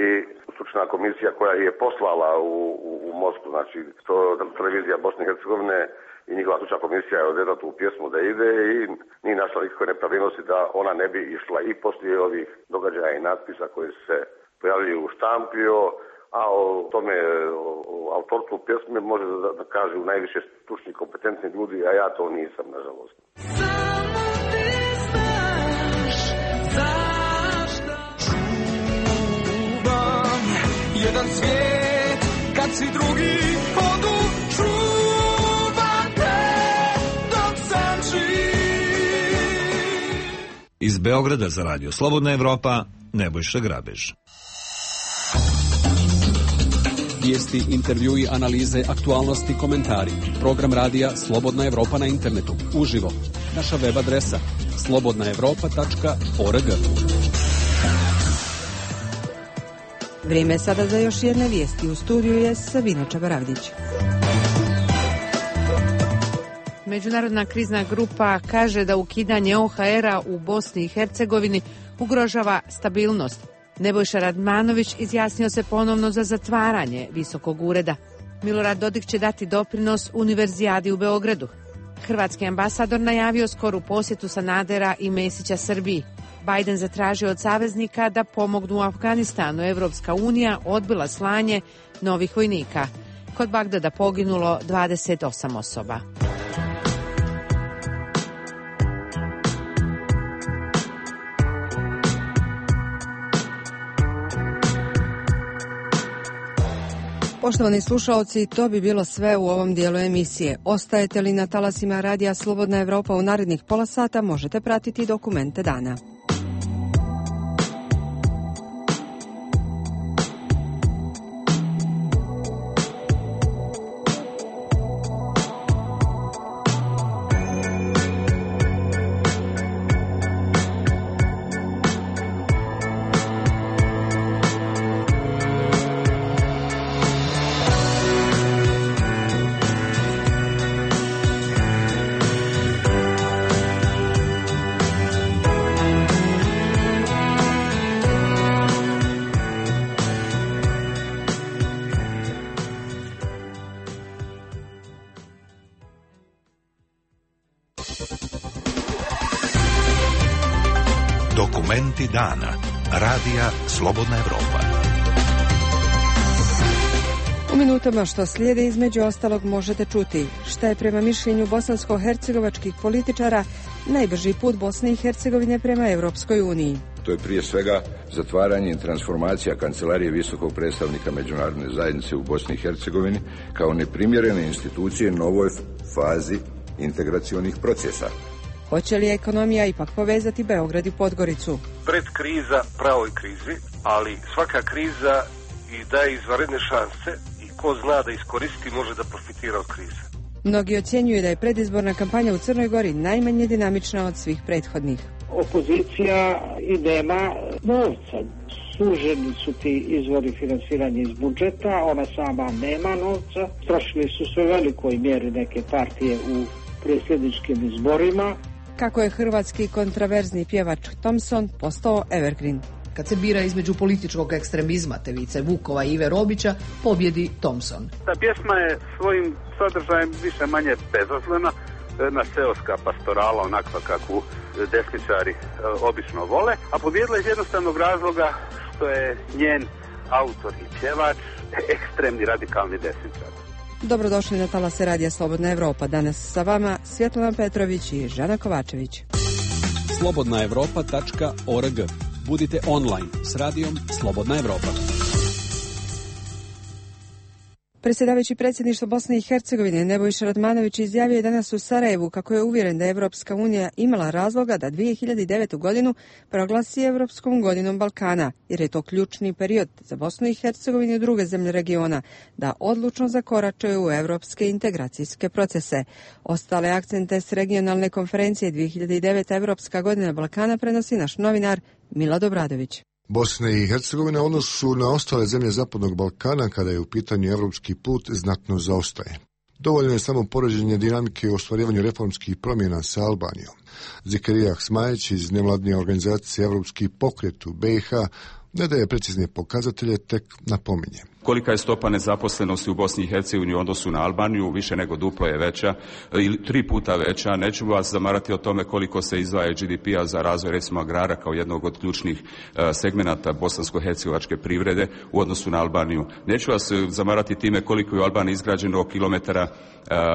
i stručna komisija koja je poslala u, u, u Moskvu, znači to televizija Bosne i Hercegovine i njihova stručna komisija je odredila tu pjesmu da ide i nije našla nikakve nepravilnosti da ona ne bi išla i poslije ovih događaja i natpisa koji se pojavljaju u štampio, a o tome, o, o autorstvu pjesme može da, da kažu najviše stručni kompetentni ljudi, a ja to nisam, nažalost. Samo ti znaš zašto čuvam jedan svijet kad svi drugi odu, čuvam te dok sam živ. Iz Beograda za radio Slobodna Evropa, Nebojša Grabež. Vijesti, intervjui, analize, aktualnosti, komentari. Program radija Slobodna Evropa na internetu. Uživo. Naša web adresa slobodna evropa tačka org. Vrijeme je sada za još jedne vijesti. U studiju je Sabina Čabaravdić. Međunarodna krizna grupa kaže da ukidanje O H R-a u Bosni i Hercegovini ugrožava stabilnost. Nebojša Radmanović izjasnio se ponovno za zatvaranje visokog ureda. Milorad Dodik će dati doprinos Univerzijadi u Beogradu. Hrvatski ambasador najavio skoru posjetu Sanadera i Mesića Srbiji. Biden zatražio od saveznika da pomognu u Afganistanu. Evropska unija odbila slanje novih vojnika. Kod Bagdada poginulo dvadeset osam osoba. Poštovani slušaoci, to bi bilo sve u ovom dijelu emisije. Ostajete li na talasima radija Slobodna Evropa u narednih pola sata, možete pratiti dokumente dana. Dokumenti dana. Radija Slobodna Evropa. U minutama što slijede između ostalog možete čuti šta je prema mišljenju bosansko-hercegovačkih političara najbrži put Bosne i Hercegovine prema Europskoj uniji. To je prije svega zatvaranje i transformacija Kancelarije visokog predstavnika međunarodne zajednice u Bosni i Hercegovini kao neprimjerene institucije novoj fazi integracionih procesa. Hoće li ekonomija ipak povezati Beograd i Podgoricu? Pred kriza pravoj krizi, ali svaka kriza i daje izvanredne šanse i ko zna da iskoristi može da profitira od krize. Mnogi ocjenjuju da je predizborna kampanja u Crnoj Gori najmanje dinamična od svih prethodnih. Opozicija i nema novca. Suženi su ti izvori finansiranja iz budžeta, ona sama nema novca. Strašili su sve velikoj mjeri neke partije u predsjedničkim izborima. Kako je hrvatski kontraverzni pjevač Thompson postao evergreen. Kad se bira između političkog ekstremizma te Vice Vukova i Ive Robića, pobjedi Thompson. Ta pjesma je svojim sadržajem više manje bezazlena, jedna seoska pastorala, onakva kakvu desničari obično vole, a pobjedila iz jednostavnog razloga što je njen autor i pjevač ekstremni radikalni desničar. Dobrodošli na talase Radija Slobodna Evropa. Danas sa vama Svjetlana Petrović i Žana Kovačević. slobodna evropa tačka org. Budite online s radijom Slobodna Evropa. Predsjedavajući predsjedništvo Bosne i Hercegovine Nebojša Radmanović izjavio je danas u Sarajevu kako je uvjeren da je Evropska unija imala razloga da dvije hiljade devetu godinu proglasi Evropskom godinom Balkana, jer je to ključni period za Bosnu i Hercegovinu i druge zemlje regiona da odlučno zakoračaju u evropske integracijske procese. Ostale akcente s regionalne konferencije dvije hiljade devete Evropska godina Balkana prenosi naš novinar Milad Obradović. Bosna i Hercegovina u odnosu na ostale zemlje Zapadnog Balkana kada je u pitanju evropski put znatno zaostaje. Dovoljno je samo poređenje dinamike u ostvarivanju reformskih promjena sa Albanijom. Zekerija Smajić iz nevladine organizacije Evropski pokret u B i H ne daje precizne pokazatelje, tek napominje. Kolika je stopa nezaposlenosti u Bosni i Hercegovini u odnosu na Albaniju, više nego duplo je veća ili tri puta veća. Neću vas zamarati o tome koliko se izdvaja G D P-a za razvoj recimo agrara kao jednog od ključnih segmenata bosansko-hercegovačke privrede u odnosu na Albaniju. Neću vas zamarati time koliko je u Albaniji izgrađeno kilometara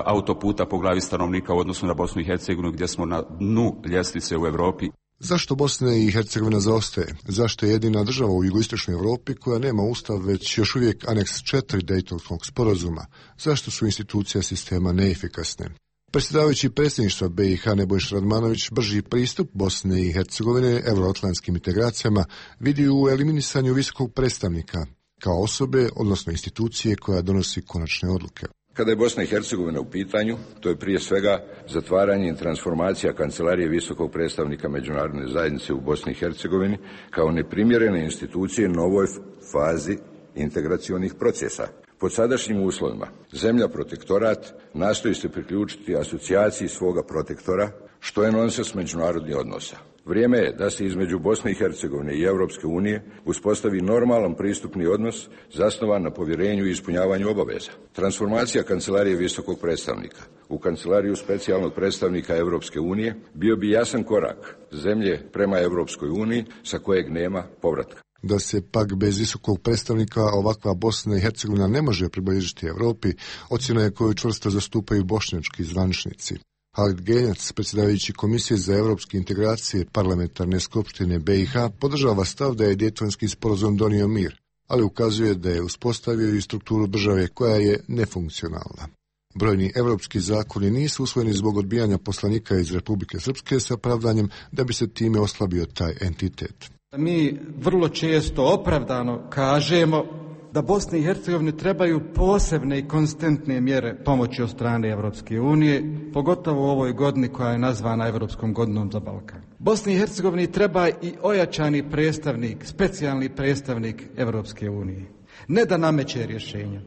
autoputa po glavi stanovnika u odnosu na Bosnu i Hercegovinu gdje smo na dnu ljestvice u Europi. Zašto Bosna i Hercegovina zaostaje? Zašto je jedina država u jugoistočnoj Europi koja nema ustav već još uvijek aneks četiri Dejtonskog sporazuma? Zašto su institucije sistema neefikasne? Predsjedavajući predsjedništva B i H Nebojša Radmanović brži pristup Bosne i Hercegovine euroatlantskim integracijama vidi u eliminisanju visokog predstavnika kao osobe, odnosno institucije koja donosi konačne odluke. Kada je Bosna i Hercegovina u pitanju, to je prije svega zatvaranje i transformacija Kancelarije visokog predstavnika međunarodne zajednice u Bosni i Hercegovini kao neprimjerene institucije novoj fazi integracionih procesa. Pod sadašnjim uslovima, zemlja protektorat nastoji se priključiti asocijaciji svoga protektora, što je nonsens međunarodnih odnosa. Vrijeme je da se između Bosne i Hercegovine i Europske unije uspostavi normalan pristupni odnos zasnovan na povjerenju i ispunjavanju obaveza. Transformacija Kancelarije visokog predstavnika u Kancelariju specijalnog predstavnika Europske unije bio bi jasan korak zemlje prema Europskoj uniji sa kojeg nema povratka. Da se pak bez visokog predstavnika ovakva Bosna i Hercegovina ne može približiti Europi, ocjena je koju čvrsto zastupaju bošnjački zvaničnici. Halid Genjac, predsjedavajući Komisije za evropske integracije parlamentarne skupštine B i H, podržava stav da je Dejtonski sporazum donio mir, ali ukazuje da je uspostavio i strukturu države koja je nefunkcionalna. Brojni evropski zakoni nisu usvojeni zbog odbijanja poslanika iz Republike Srpske sa pravdanjem da bi se time oslabio taj entitet. Mi vrlo često opravdano kažemo da Bosni i Hercegovini trebaju posebne i konstantne mjere pomoći od strane Evropske unije, pogotovo u ovoj godini koja je nazvana Evropskom godinom za Balkan. Bosni i Hercegovini treba i ojačani predstavnik, specijalni predstavnik Evropske unije. Ne da nameće rješenja,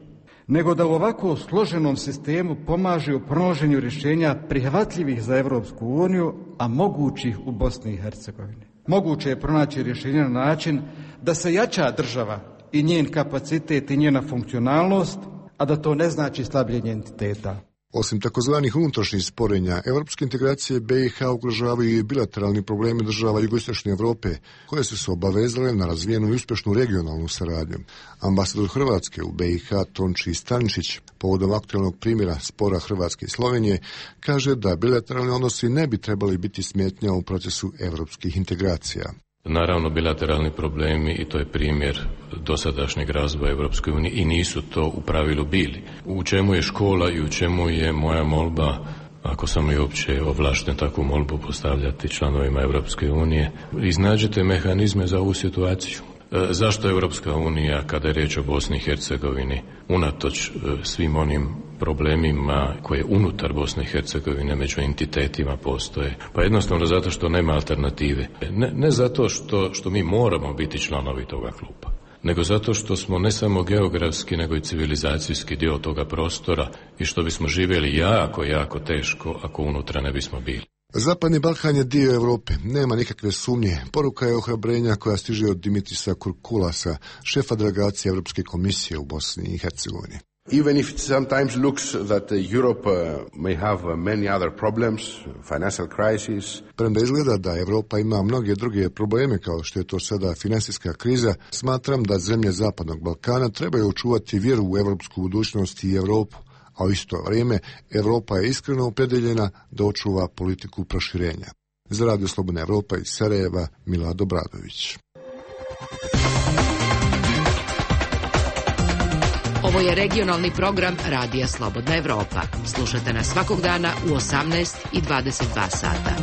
nego da u ovako složenom sistemu pomaže u pronalaženju rješenja prihvatljivih za Evropsku uniju, a mogućih u Bosni i Hercegovini. Moguće je pronaći rješenje na način da se jača država i njen kapacitet i njena funkcionalnost, a da to ne znači slabljenje entiteta. Osim takozvanih unutrašnjih sporenja, evropske integracije B i H ugrožavaju i bilateralni problemi država jugoistočne Europe, koje su se obavezale na razvijenu i uspješnu regionalnu saradnju. Ambasador Hrvatske u B i H Tonči Stančić, povodom aktualnog primjera spora Hrvatske i Slovenije, kaže da bilateralni odnosi ne bi trebali biti smetnja u procesu evropskih integracija. Naravno, bilateralni problemi, i to je primjer dosadašnjeg razvoja Europske unije, i nisu to u pravilu bili. U čemu je škola i u čemu je moja molba, ako sam i uopće ovlašten takvu molbu postavljati članovima Europske unije, iznađete mehanizme za ovu situaciju. E, zašto Europska unija, kada je riječ o Bosni i Hercegovini, unatoč e, svim onim problemima koje unutar Bosne i Hercegovine među entitetima postoje? Pa jednostavno zato što nema alternative. Ne, ne zato što, što mi moramo biti članovi toga kluba, nego zato što smo ne samo geografski, nego i civilizacijski dio toga prostora i što bismo živjeli jako, jako teško ako unutra ne bismo bili. Zapadni Balkan je dio Europe, nema nikakve sumnje. Poruka je ohrabrenja koja stiže od Dimitrisa Kurkulasa, šefa delegacije Europske komisije u Bosni i Hercegovini. Even if it sometimes looks that Europe may have many other problems, financial crisis. Premda izgleda da Europa ima mnoge druge probleme, kao što je to sada financijska kriza, smatram da zemlje Zapadnog Balkana trebaju očuvati vjeru u europsku budućnost i Europu, a u isto vrijeme Europa je iskreno opredeljena da očuva politiku proširenja. Za Radio Slobodna Evropa iz Sarajeva, Milad Obradović. Ovo je regionalni program Radija Slobodna Evropa. Slušajte nas svakog dana u osamnaest i dvadeset dva sata.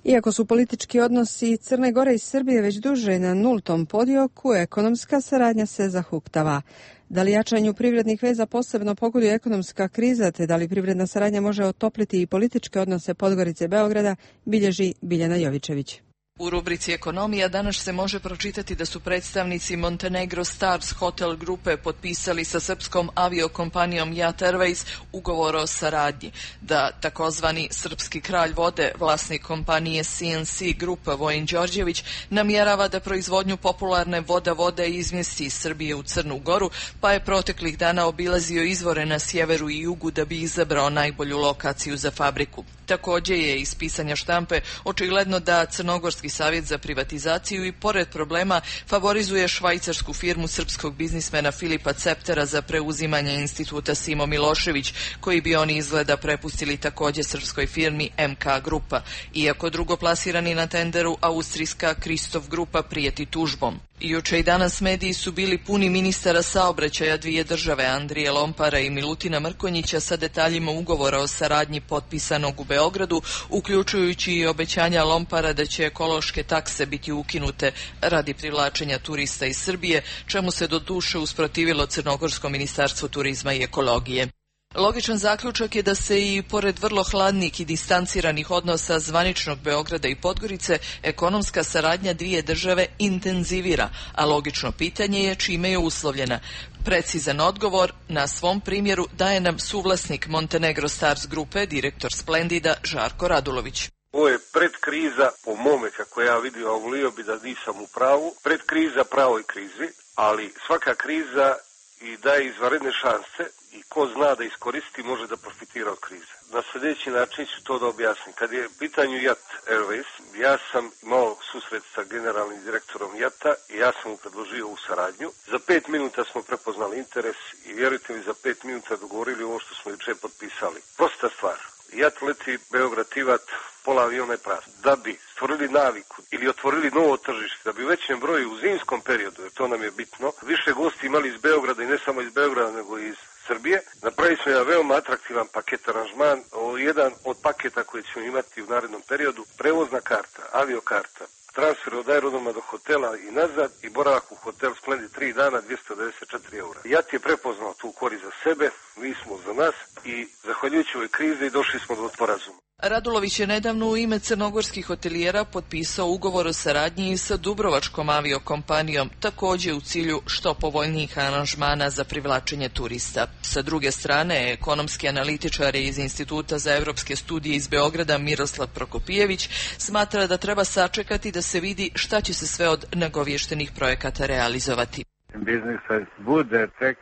Iako su politički odnosi Crne Gore i Srbije već duže na nultom podioku, ekonomska saradnja se zahuktava. Da li jačanju privrednih veza posebno pogoduje ekonomska kriza, te da li privredna saradnja može otopliti i političke odnose Podgorice i Beograda, bilježi Biljana Jovičević. U rubrici Ekonomija danas se može pročitati da su predstavnici Montenegro Stars Hotel grupe potpisali sa srpskom aviokompanijom Jat Airways ugovor o saradnji, da takozvani srpski kralj vode, vlasnik kompanije C N C Grupa Vojin Đorđević, namjerava da proizvodnju popularne voda vode izmjesti iz Srbije u Crnu Goru, pa je proteklih dana obilazio izvore na sjeveru i jugu da bi izabrao najbolju lokaciju za fabriku. Također je iz pisanja štampe očigledno da Crnogorski savjet za privatizaciju i pored problema favorizuje švajcarsku firmu srpskog biznismena Filipa Ceptera za preuzimanje instituta Simo Milošević, koji bi oni izgleda prepustili također srpskoj firmi M K Grupa, iako drugoplasirani na tenderu austrijska Kristof Grupa prijeti tužbom. Juče i danas mediji su bili puni ministara saobraćaja dvije države, Andrije Lompara i Milutina Mrkonjića, sa detaljima ugovora o saradnji potpisanog u Beogradu, uključujući i obećanja Lompara da će ekološke takse biti ukinute radi privlačenja turista iz Srbije, čemu se do duše usprotivilo Crnogorsko ministarstvo turizma i ekologije. Logičan zaključak je da se i pored vrlo hladnih i distanciranih odnosa zvaničnog Beograda i Podgorice, ekonomska saradnja dvije države intenzivira, a logično pitanje je čime je uslovljena. Precizan odgovor na svom primjeru daje nam suvlasnik Montenegro Stars grupe, direktor Splendida Žarko Radulović. Ovo je predkriza, po mome kako ja vidim, a volio bi da nisam u pravu, predkriza pravoj krizi, ali svaka kriza i daje izvanredne šanse i ko zna da iskoristi može da profitira od krize. Na sljedeći način ću to da objasnim. Kad je u pitanju Jat Airways, ja sam imao susret sa generalnim direktorom Jata i ja sam mu predložio u saradnju. Za pet minuta smo prepoznali interes i vjerujte mi, za pet minuta dogovorili ovo što smo juče potpisali. Prosta stvar. Jat leti Beograd-Tivat, pola aviona je prazno. Da bi stvorili naviku ili otvorili novo tržište, da bi u većem broju u zimskom periodu, jer to nam je bitno, više gosti imali iz Beograda i ne samo iz Beograda nego i iz Srbije, napravili smo jedan veoma atraktivan paket aranžman, jedan od paketa koji ćemo imati u narednom periodu, prevozna karta, aviokarta, transfer od aerodroma do hotela i nazad i boravak u hotel Splendid tri dana, dvjesto devedeset četiri eura. Jat je prepoznao tu korist za sebe, mi smo za nas i zahvaljujući ovoj krizi došli smo do sporazuma. Radulović je nedavno u ime crnogorskih hotelijera potpisao ugovor o saradnji sa Dubrovačkom aviokompanijom, također u cilju što povoljnijih aranžmana za privlačenje turista. Sa druge strane, ekonomski analitičar iz Instituta za evropske studije iz Beograda Miroslav Prokopijević smatra da treba sačekati da se vidi šta će se sve od nagovještenih projekata realizovati. Biznis bude tek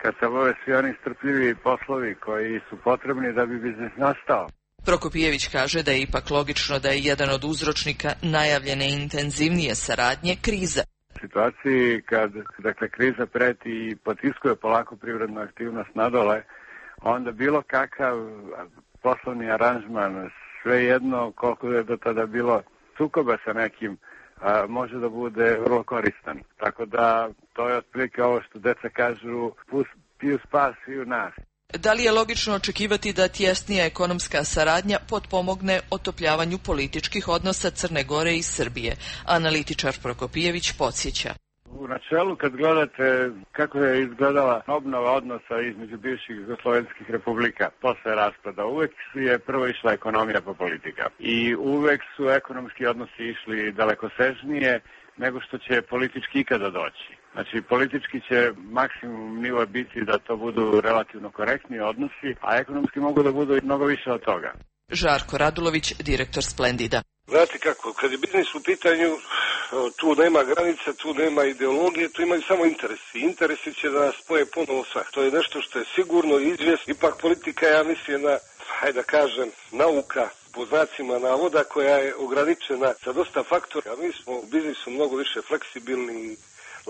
kad se obave svi oni strpljivi poslovi koji su potrebni da bi biznis nastao. Prokopijević kaže da je ipak logično da je jedan od uzročnika najavljene intenzivnije saradnje kriza. U situaciji kad dakle, kriza preti i potiskuje polako privrednu aktivnost nadole, onda bilo kakav poslovni aranžman, svejedno koliko je do tada bilo sukoba sa nekim, a, može da bude vrlo koristan. Tako da to je otprilike ovo što deca kažu, piju spas i u nas. Da li je logično očekivati da tjesnija ekonomska saradnja potpomogne otopljavanju političkih odnosa Crne Gore i Srbije? Analitičar Prokopijević podsjeća. U načelu, kad gledate kako je izgledala obnova odnosa između bivših jugoslovenskih republika posle raspada, uvek je prvo išla ekonomija pa politika. I uvek su ekonomski odnosi išli dalekosežnije nego što će politički ikada doći. Znači, politički će maksimum nivo biti da to budu relativno korektni odnosi, a ekonomski mogu da budu mnogo više od toga. Žarko Radulović, direktor Splendida. Znate kako, kad je biznis u pitanju, tu nema granica, tu nema ideologije, tu imaju samo interesi. Interesi će da nas spoje ponovo svak. To je nešto što je sigurno izvjesno. Ipak politika, ja mislim, na, hajde da kažem, nauka, po znacima navoda, koja je ograničena sa dosta faktora. A mi smo u biznisu mnogo više fleksibilni i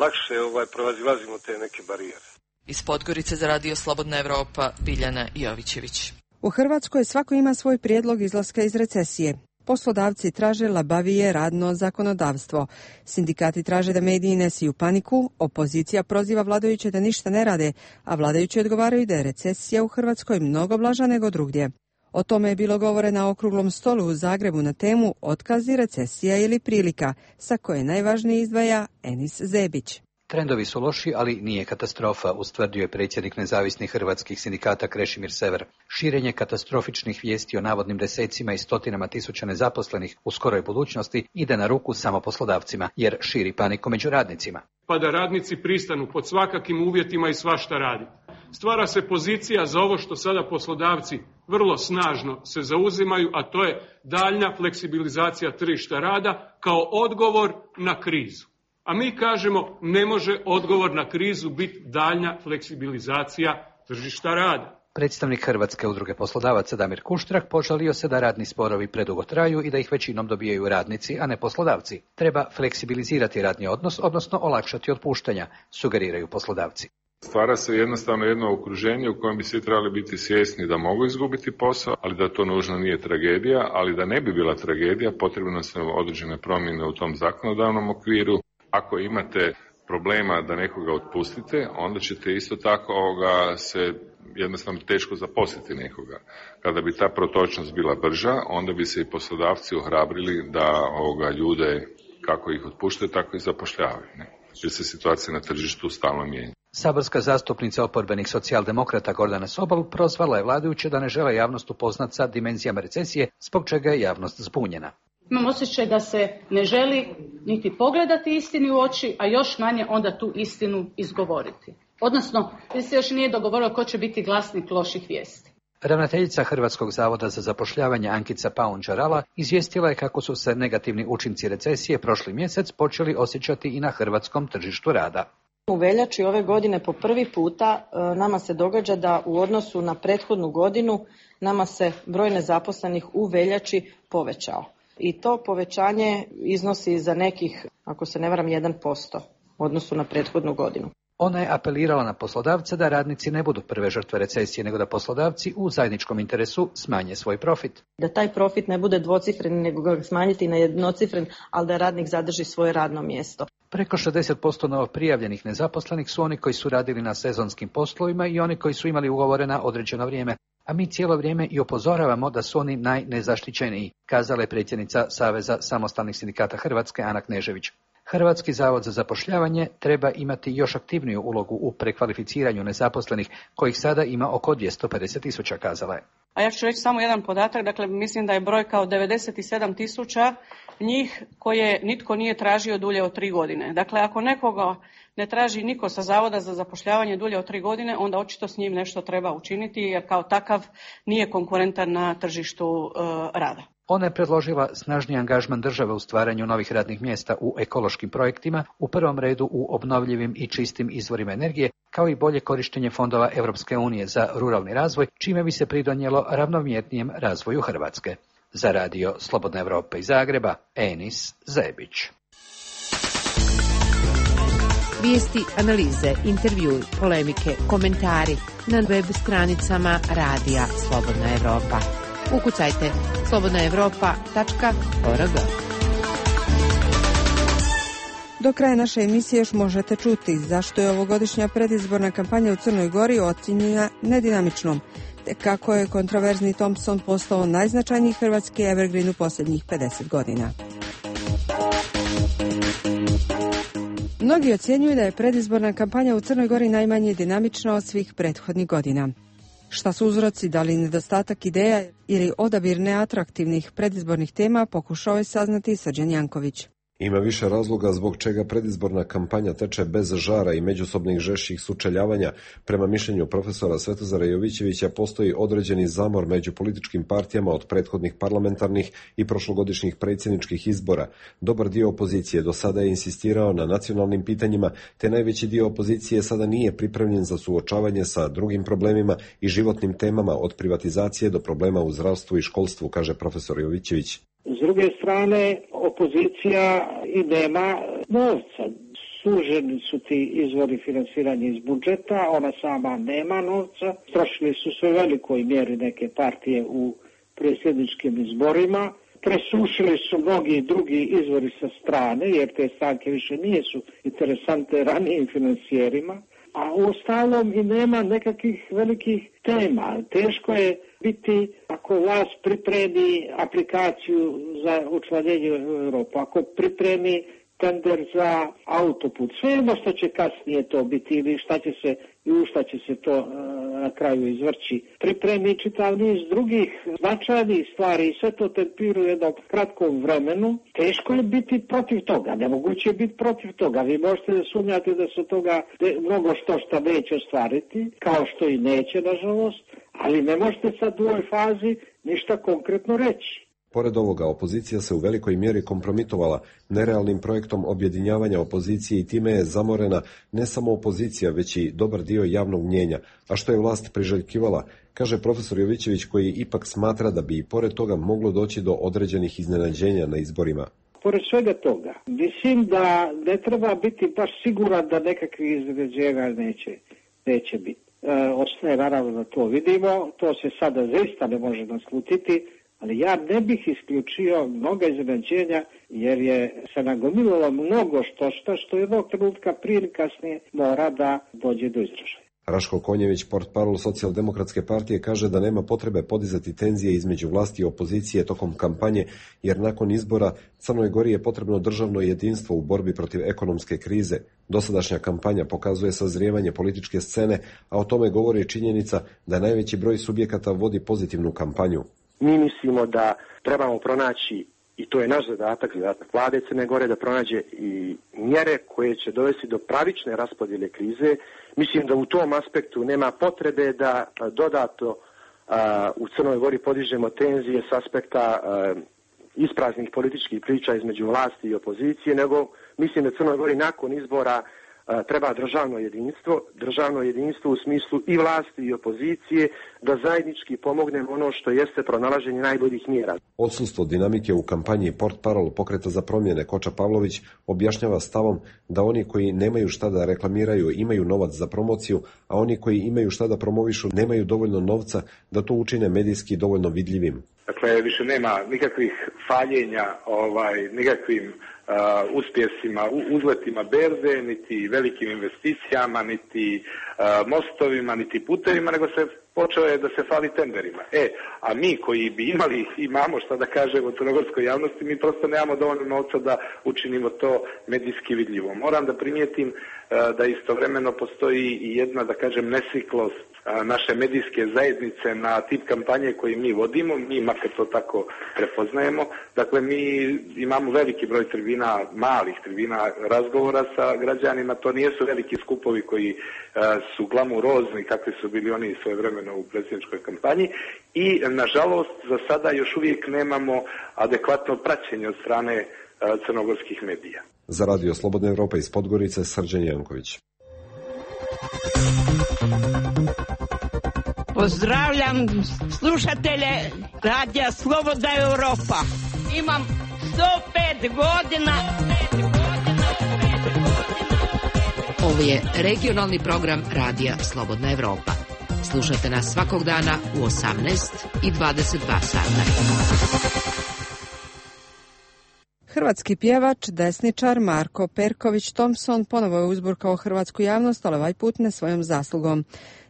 lakše ovaj, prevazilazimo te neke barijere. Iz Podgorice za Radio Slobodna Evropa, Biljana Jovićević. U Hrvatskoj svako ima svoj prijedlog izlaska iz recesije. Poslodavci traže labavije radno zakonodavstvo. Sindikati traže da mediji ne siju paniku, opozicija proziva vladajuće da ništa ne rade, a vladajući odgovaraju da je recesija u Hrvatskoj mnogo blaža nego drugdje. O tome je bilo govore na okruglom stolu u Zagrebu na temu Otkazi, recesija ili prilika, sa koje najvažnije izdvaja Enis Zebić. Trendovi su loši, ali nije katastrofa, ustvrdio je predsjednik nezavisnih hrvatskih sindikata Krešimir Sever. Širenje katastrofičnih vijesti o navodnim desecima i stotinama tisuća nezaposlenih u skoroj budućnosti ide na ruku samo poslodavcima, jer širi paniku među radnicima. Pa da radnici pristanu pod svakakim uvjetima i svašta radi. Stvara se pozicija za ovo što sada poslodavci vrlo snažno se zauzimaju, a to je daljnja fleksibilizacija tržišta rada kao odgovor na krizu. A mi kažemo ne može odgovor na krizu biti daljnja fleksibilizacija tržišta rada. Predstavnik Hrvatske udruge poslodavaca Damir Kuštrak požalio se da radni sporovi predugo traju i da ih većinom dobijaju radnici, a ne poslodavci. Treba fleksibilizirati radni odnos, odnosno olakšati otpuštanja, sugeriraju poslodavci. Stvara se jednostavno jedno okruženje u kojem bi svi trebali biti svjesni da mogu izgubiti posao, ali da to nužno nije tragedija, ali da ne bi bila tragedija, potrebno su određene promjene u tom zakonodavnom okviru. Ako imate problema da nekoga otpustite, onda ćete isto tako ovoga se jednostavno teško zaposliti nekoga. Kada bi ta protočnost bila brža, onda bi se i poslodavci ohrabrili da ovoga ljude kako ih otpuštaju, tako i zapošljavaju. Ne? Jer se situacija na tržištu stalno mijenja. Saborska zastupnica oporbenih socijaldemokrata Gordana Sobol prozvala je vladajuće da ne žele javnost upoznat sa dimenzijama recesije, zbog čega je javnost zbunjena. Imam osjećaj da se ne želi niti pogledati istini u oči, a još manje onda tu istinu izgovoriti. Odnosno, se još nije dogovorilo ko će biti glasnik loših vijesti. Ravnateljica Hrvatskog zavoda za zapošljavanje Ankica Paun-Đarala izvijestila je kako su se negativni učinci recesije prošli mjesec počeli osjećati i na hrvatskom tržištu rada. U veljači ove godine po prvi puta nama se događa da u odnosu na prethodnu godinu nama se broj nezaposlenih u veljači povećao. I to povećanje iznosi za nekih, ako se ne varam, jedan posto u odnosu na prethodnu godinu. Ona je apelirala na poslodavce da radnici ne budu prve žrtve recesije, nego da poslodavci u zajedničkom interesu smanje svoj profit. Da taj profit ne bude dvocifren, nego ga smanjiti na jednocifren, ali da radnik zadrži svoje radno mjesto. Preko šezdeset posto novoprijavljenih nezaposlenih su oni koji su radili na sezonskim poslovima i oni koji su imali ugovore na određeno vrijeme. A mi cijelo vrijeme i upozoravamo da su oni najnezaštićeniji, kazala je predsjednica Saveza samostalnih sindikata Hrvatske Ana Knežević. Hrvatski zavod za zapošljavanje treba imati još aktivniju ulogu u prekvalificiranju nezaposlenih, kojih sada ima oko dvjesto pedeset tisuća, kazala je. A ja ću reći samo jedan podatak, dakle mislim da je brojka od devedeset sedam tisuća njih koje nitko nije tražio dulje od tri godine. Dakle, ako nekoga ne traži niko sa Zavoda za zapošljavanje dulje od tri godine, onda očito s njim nešto treba učiniti jer kao takav nije konkurentan na tržištu uh, rada. Ona je predložila snažniji angažman države u stvaranju novih radnih mjesta u ekološkim projektima, u prvom redu u obnovljivim i čistim izvorima energije, kao i bolje korištenje fondova Europske unije za ruralni razvoj, čime bi se pridonijelo ravnomjernijem razvoju Hrvatske. Za radio Slobodna Evropa iz Zagreba, Enis Zebić. Vijesti, analize, intervjui, polemike, komentari na web stranicama radija Slobodna Evropa. Ukucajte slobodna evropa tačka org. Do kraja naše emisije još možete čuti zašto je ovogodišnja predizborna kampanja u Crnoj Gori ocjenjena nedinamičnom, te kako je kontroverzni Thompson postao najznačajniji hrvatski evergreen u posljednjih pedeset godina. Mnogi ocjenjuju da je predizborna kampanja u Crnoj Gori najmanje dinamična od svih prethodnih godina. Šta su uzroci, da li nedostatak ideja ili odabir neatraktivnih predizbornih tema, pokušao je saznati Srđan Janković. Ima više razloga zbog čega predizborna kampanja teče bez žara i međusobnih žešćih sučeljavanja. Prema mišljenju profesora Svetozara Jovićevića postoji određeni zamor među političkim partijama od prethodnih parlamentarnih i prošlogodišnjih predsjedničkih izbora. Dobar dio opozicije do sada je insistirao na nacionalnim pitanjima, te najveći dio opozicije sada nije pripremljen za suočavanje sa drugim problemima i životnim temama od privatizacije do problema u zdravstvu i školstvu, kaže profesor Jovićević. S druge strane, opozicija i nema novca. Suženi su ti izvori finansiranja iz budžeta, ona sama nema novca. Trošili su sve velikoj mjeri neke partije u predsjedničkim izborima. Presušili su mnogi drugi izvori sa strane, jer te stranke više nisu interesante ranijim financijerima. A u ostalom i nema nekakvih velikih tema. Teško je biti ako vlast pripremi aplikaciju za učlanjenje u Europu, ako pripremi tender za autoput, svejedno što će kasnije to biti ili šta će se i u šta će se to na kraju izvrći. Pripremi čitav niz drugih značajnih stvari i sve to tempiruje u jednom kratkom vremenu. Teško je biti protiv toga, nemoguće je biti protiv toga. Vi možete da sumnjate da se toga mnogo što šta neće ostvariti, kao što i neće, nažalost, ali ne možete sad u ovoj fazi ništa konkretno reći. Pored ovoga, opozicija se u velikoj mjeri kompromitovala nerealnim projektom objedinjavanja opozicije i time je zamorena ne samo opozicija, već i dobar dio javnog mnjenja, a što je vlast priželjkivala, kaže profesor Jovićević, koji ipak smatra da bi i pored toga moglo doći do određenih iznenađenja na izborima. Pored svega toga, mislim da ne treba biti baš siguran da nekakvih iznenađenja neće, neće biti. E, Osne, naravno da to vidimo, to se sada zaista ne može naslutiti, ali ja ne bih isključio mnoga iznenađenja jer je se nagomililo mnogo što što, što jednog trenutka prije ili kasnije mora da dođe do izražaja. Raško Konjević, portparol Socijaldemokratske partije, kaže da nema potrebe podizati tenzije između vlasti i opozicije tokom kampanje, jer nakon izbora Crnoj Gori je potrebno državno jedinstvo u borbi protiv ekonomske krize. Dosadašnja kampanja pokazuje sazrijevanje političke scene, a o tome govori činjenica da najveći broj subjekata vodi pozitivnu kampanju. Mi mislimo da trebamo pronaći, i to je naš zadatak, zadatak vlade Crne Gore, da pronađe i mjere koje će dovesti do pravične raspodjele krize. Mislim da u tom aspektu nema potrebe da dodatno a, u Crnoj Gori podižemo tenzije s aspekta a, ispraznih političkih priča između vlasti i opozicije, nego mislim da Crnoj Gori nakon izbora treba državno jedinstvo, državno jedinstvo u smislu i vlasti i opozicije, da zajednički pomognemo ono što jeste pronalaženje najboljih mjera. Odsustvo dinamike u kampanji portparol Pokreta za promjene Koča Pavlović objašnjava stavom da oni koji nemaju šta da reklamiraju imaju novac za promociju, a oni koji imaju šta da promovišu nemaju dovoljno novca da to učine medijski dovoljno vidljivim. Dakle, više nema nikakvih faljenja, ovaj, nikakvim uh, uspjesima, uzletima berze, niti velikim investicijama, niti uh, mostovima, niti putevima, nego se počeo je da se fali tenderima. E, a mi koji bi imali, imamo šta da kažemo crnogorskoj javnosti, mi prosto nemamo dovoljno novca da učinimo to medijski vidljivo. Moram da primijetim uh, da istovremeno postoji i jedna, da kažem, nesiklost naše medijske zajednice na tip kampanje koje mi vodimo, mi makar to tako prepoznajemo. Dakle, mi imamo veliki broj tribina, malih tribina razgovora sa građanima, to nijesu veliki skupovi koji su glamurozni kakvi su bili oni svojevremeno u predsjedničkoj kampanji i nažalost za sada još uvijek nemamo adekvatno praćenje od strane crnogorskih medija. Za Radio Slobodna Evropa iz Podgorice, Srđan Janković. Pozdravljam slušatelje Radija Slobodna Evropa. Imam sto pet godina. Ovo je regionalni program Radija Slobodna Evropa. Slušajte nas svakog dana u osamnaest i dvadeset dva sata. Hrvatski pjevač, desničar Marko Perković Thompson ponovo je uzburkao hrvatsku javnost, ali ovaj put ne svojom zaslugom.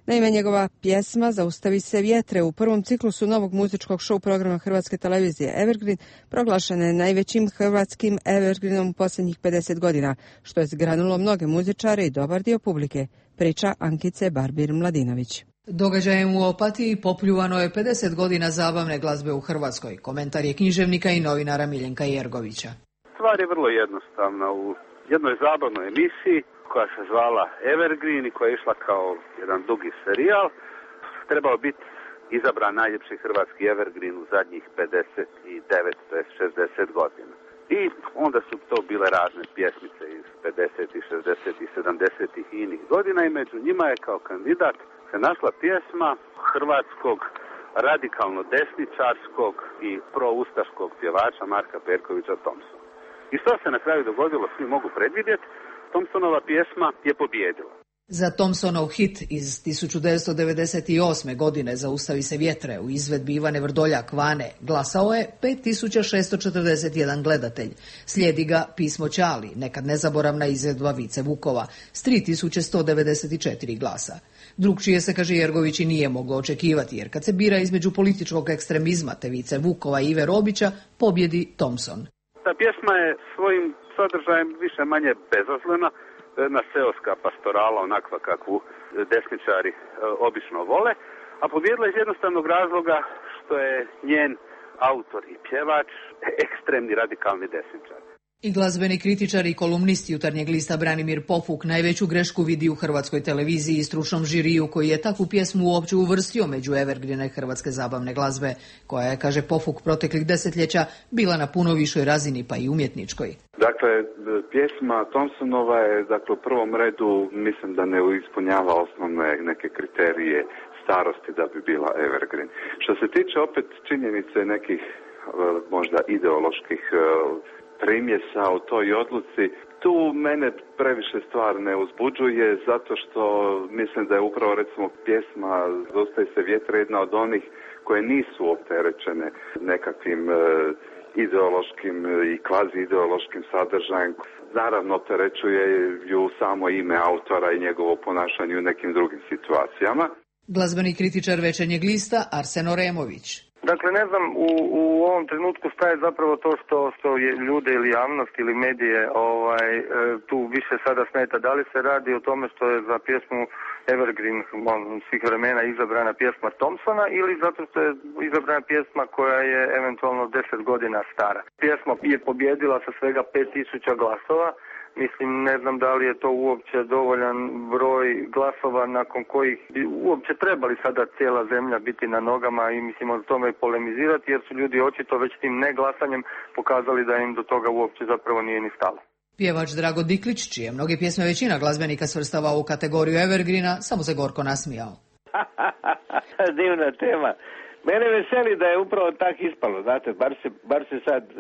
Naime, njegova pjesma Zaustavi se vjetre u prvom ciklusu novog muzičkog show programa Hrvatske televizije Evergreen proglašena je najvećim hrvatskim Evergreenom u posljednjih pedeset godina, što je zgranulo mnoge muzičare i dobar dio publike, priča Ankice Barbir-Mladinović. Događajem u Opatiji popljuvano je pedeset godina zabavne glazbe u Hrvatskoj. Komentar je književnika i novinara Miljenka Jergovića. Stvar je vrlo jednostavna. U jednoj zabavnoj emisiji koja se zvala Evergreen i koja je išla kao jedan dugi serijal, trebao biti izabran najljepši hrvatski Evergreen u zadnjih pedeset devet do šezdeset godina. I onda su to bile razne pjesmice iz pedesetih, šezdesetih, sedamdesetih i inih godina i među njima je kao kandidat se našla pjesma hrvatskog radikalno desničarskog i proustaškog pjevača Marka Perkovića Thompsona. I što se na kraju dogodilo, svi mogu predvidjeti, Thompsonova pjesma je pobijedila. Za Thompsonov hit iz tisuću devetsto devedeset osme. godine Zaustavi se vjetre u izvedbi Ivane Vrdoljak Vane glasao je pet tisuća šesto četrdeset jedan gledatelj. Slijedi ga Pismo Ćali, nekad nezaboravna izvedba Vice Vukova s tri tisuće sto devedeset četiri glasa. Drugčije se, kaže Jergović, i nije moglo očekivati, jer kad se bira između političkog ekstremizma te Vice Vukova i Ive Robića, pobjedi Thompson. Ta pjesma je svojim sadržajem više manje bezazlena, jedna seoska pastorala, onakva kakvu desničari e, obično vole, a pobjedila iz jednostavnog razloga što je njen autor i pjevač ekstremni radikalni desničar. I glazbeni kritičar i kolumnist Jutarnjeg lista Branimir Pofuk najveću grešku vidi u Hrvatskoj televiziji i stručnom žiriju koji je takvu pjesmu uopće uvrstio među evergrine hrvatske zabavne glazbe, koja je, kaže Pofuk, proteklih desetljeća bila na puno višoj razini, pa i umjetničkoj. Dakle, pjesma Thompsonova je, dakle, u prvom redu, mislim da ne ispunjava osnovne neke kriterije starosti da bi bila evergreen. Što se tiče opet činjenice nekih možda ideoloških primjesa u toj odluci, tu mene previše stvar ne uzbuđuje, zato što mislim da je upravo, recimo, pjesma Zaustavi se vjetre jedna od onih koje nisu opterećene nekakvim e, ideološkim i kvazi ideološkim sadržajem. Naravno, opterećuje ju samo ime autora i njegovo ponašanje u nekim drugim situacijama. Glazbeni kritičar Večernjeg lista Arsen Oremović. Dakle, ne znam u, u ovom trenutku šta je zapravo to što, što je ljude ili javnost ili medije ovaj, tu više sada smeta. Da li se radi o tome što je za pjesmu Evergreen svih vremena izabrana pjesma Thompsona ili zato što je izabrana pjesma koja je eventualno deset godina stara. Pjesma je pobjedila sa svega pet tisuća glasova. Mislim, ne znam da li je to uopće dovoljan broj glasova nakon kojih bi uopće trebali sada cijela zemlja biti na nogama i mislim o tome polemizirati, jer su ljudi očito već tim neglasanjem pokazali da im do toga uopće zapravo nije ni stalo. Pjevač Drago Diklić, čije mnoge pjesme većina glazbenika svrstava u kategoriju Evergreena, samo se gorko nasmijao. Divna tema. Mene veseli da je upravo tak ispalo, znate, bar se, bar se sad e,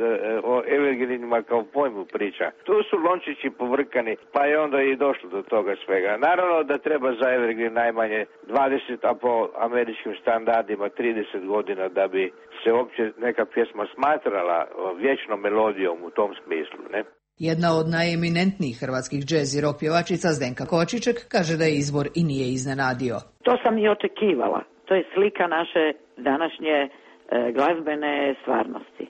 o evergreenima kao pojmu priča. Tu su lončići povrkani, pa je onda i došlo do toga svega. Naravno da treba za evergreen najmanje dvadeset, a po američkim standardima trideset godina da bi se uopće neka pjesma smatrala vječnom melodijom u tom smislu, ne? Jedna od najeminentnijih hrvatskih džez i rock pjevačica Zdenka Kovačiček kaže da je izbor i nije iznenadio. To sam i očekivala. To je slika naše današnje e, glazbene stvarnosti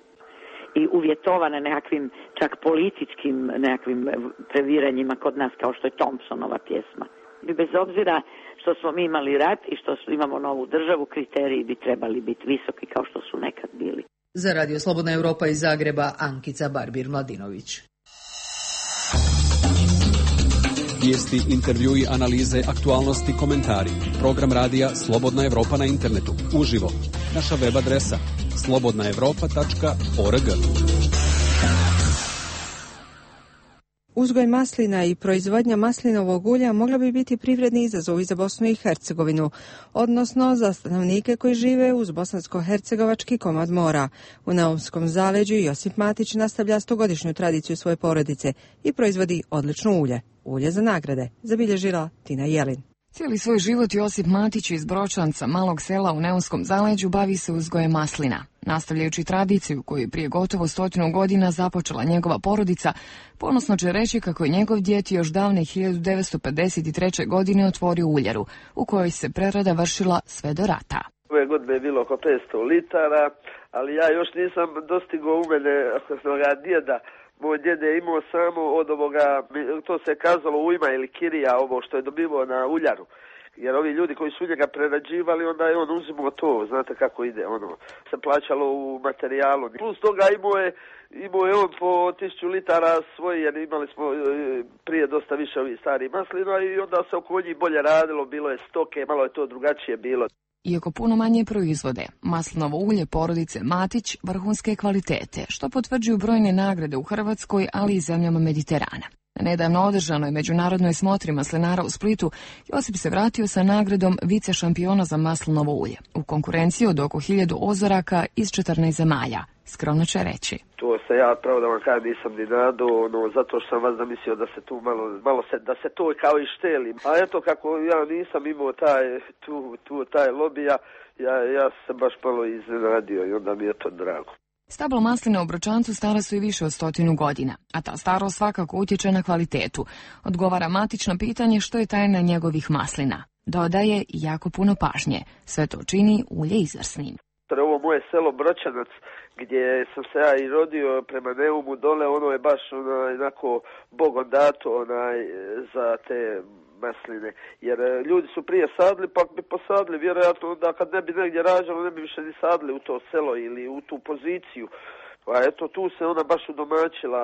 i uvjetovane nekakvim čak političkim nekakvim previranjima kod nas kao što je Thompsonova pjesma. I bez obzira što smo mi imali rat i što imamo novu državu, kriteriji bi trebali biti visoki kao što su nekad bili. Za Radio Slobodna Europa iz Zagreba, Ankica Barbir-Mladinović. Vijesti, intervjui, analize, aktualnosti, komentari. Program radija Slobodna Europa na internetu. Uživo. Naša web adresa slobodna europa tačka org. Uzgoj maslina i proizvodnja maslinovog ulja mogla bi biti privredni izazovi za Bosnu i Hercegovinu, odnosno za stanovnike koji žive uz bosansko-hercegovački komad mora. U Neumskom zaleđu Josip Matić nastavlja stogodišnju tradiciju svoje porodice i proizvodi odlično ulje. Ulje za nagrade, zabilježila Tina Jelin. Cijeli svoj život Josip Matić iz Bročanca, malog sela u Neumskom zaleđu, bavi se uzgojem maslina. Nastavljajući tradiciju koju je prije gotovo stotinu godina započela njegova porodica, ponosno će reći kako je njegov djed još davne hiljadu devetsto pedeset treće. godine otvorio uljaru, u kojoj se prerada vršila sve do rata. Ove godine je bilo oko petsto litara, ali ja još nisam dostigao u mene onoga djeda. Moj djed je imao samo od ovoga, to se kazalo ujma ili kirija, ovo što je dobivao na uljaru. Jer ovi ljudi koji su njega prerađivali, onda je on uzimao to, znate kako ide, ono, se plaćalo u materijalu. Plus toga imao je, imao je on po tisuću litara svoji, jer imali smo prije dosta više ovih starih maslina i onda se oko njih bolje radilo, bilo je stoke, malo je to drugačije bilo. Iako puno manje proizvode, maslinovo ulje porodice Matić vrhunske kvalitete, što potvrđuju brojne nagrade u Hrvatskoj, ali i zemljama Mediterana. Na nedavno održanoj međunarodnoj smotri maslinara u Splitu, Josip se vratio sa nagradom vice šampiona za maslinovo ulje, u konkurenciji od oko hiljadu ozoraka iz četrnaest zemalja. Skromno će reći. To se ja, pravo da vam kažem, nisam ni nadao, no, zato što sam vas zamislio da se tu malo, malo se, da se to kao i šteli. A eto, kako ja nisam imao taj, tu, tu, taj lobija, ja, ja sam baš malo iznenadio i onda mi je to drago. Stablo masline u Bročancu stara su i više od stotinu godina, a ta starost svakako utječe na kvalitetu. Odgovara Matić na pitanje što je tajna njegovih maslina. Dodaje jako puno pažnje. Sve to čini ulje izvrsnim. Ovo moje selo Bročanac, gdje sam se ja i rodio prema Neumu dole, ono je baš onaj, onako bogom dato onaj, za te masline. Jer ljudi su prije sadili, pa bi posadili, vjerojatno onda kad ne bi negdje rađalo, ne bi više ni sadili u to selo ili u tu poziciju. Pa eto, tu se ona baš udomaćila.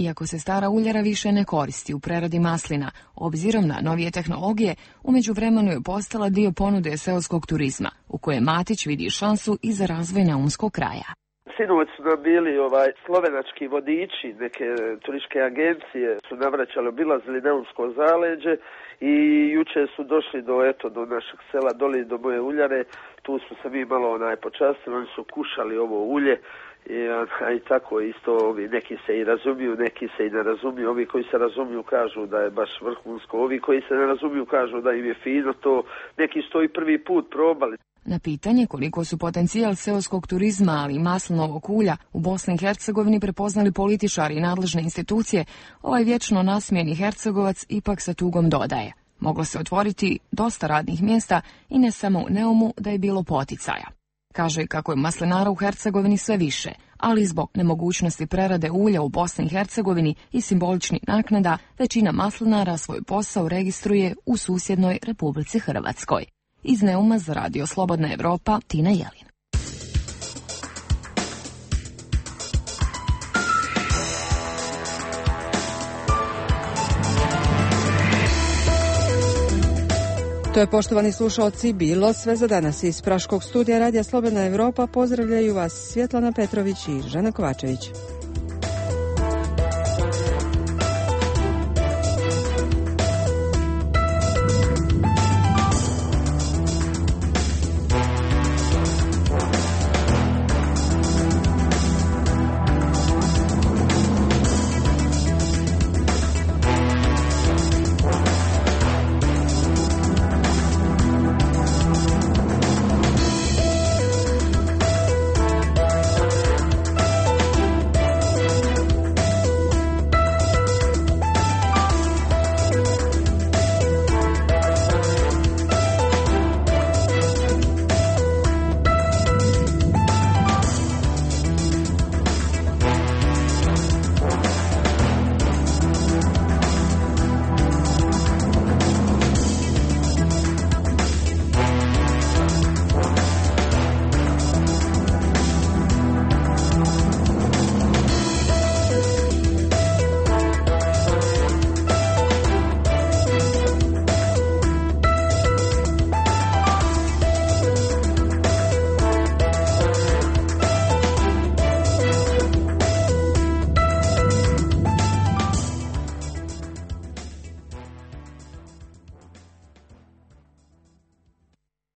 Iako se stara uljara više ne koristi u preradi maslina, obzirom na novije tehnologije, u međuvremenu je postala dio ponude seoskog turizma, u koje Matić vidi šansu i za razvoj neumskog kraja. Sinovac su nam bili ovaj, slovenački vodiči, neke turističke agencije su navraćali, obilazili Neumsko zaleđe i juče su došli do, eto, do našeg sela, doli do moje uljare, tu smo se mi malo onaj, počastili, oni su kušali ovo ulje. I, a, i tako isto, ovi, neki se i razumiju, neki se i ne razumiju, ovi koji se razumiju kažu da je baš vrhunsko, ovi koji se ne razumiju kažu da im je fino, to neki su to i prvi put probali. Na pitanje koliko su potencijal seoskog turizma, ali i maslinovog ulja u Bosni i Hercegovini prepoznali političari i nadležne institucije, ovaj vječno nasmijeni Hercegovac ipak sa tugom dodaje. Moglo se otvoriti dosta radnih mjesta i ne samo u Neumu da je bilo poticaja. Kaže kako je maslinara u Hercegovini sve više, ali zbog nemogućnosti prerade ulja u Bosni i Hercegovini i simboličnih naknada, većina maslinara svoj posao registruje u susjednoj Republici Hrvatskoj. Iz Neuma za Radio Slobodna Europa, Tina Jelin. To je, poštovani slušalci, bilo sve za danas. Iz Praškog studija Radija Slobodna Europa pozdravljaju vas Svjetlana Petrović i Žana Kovačević.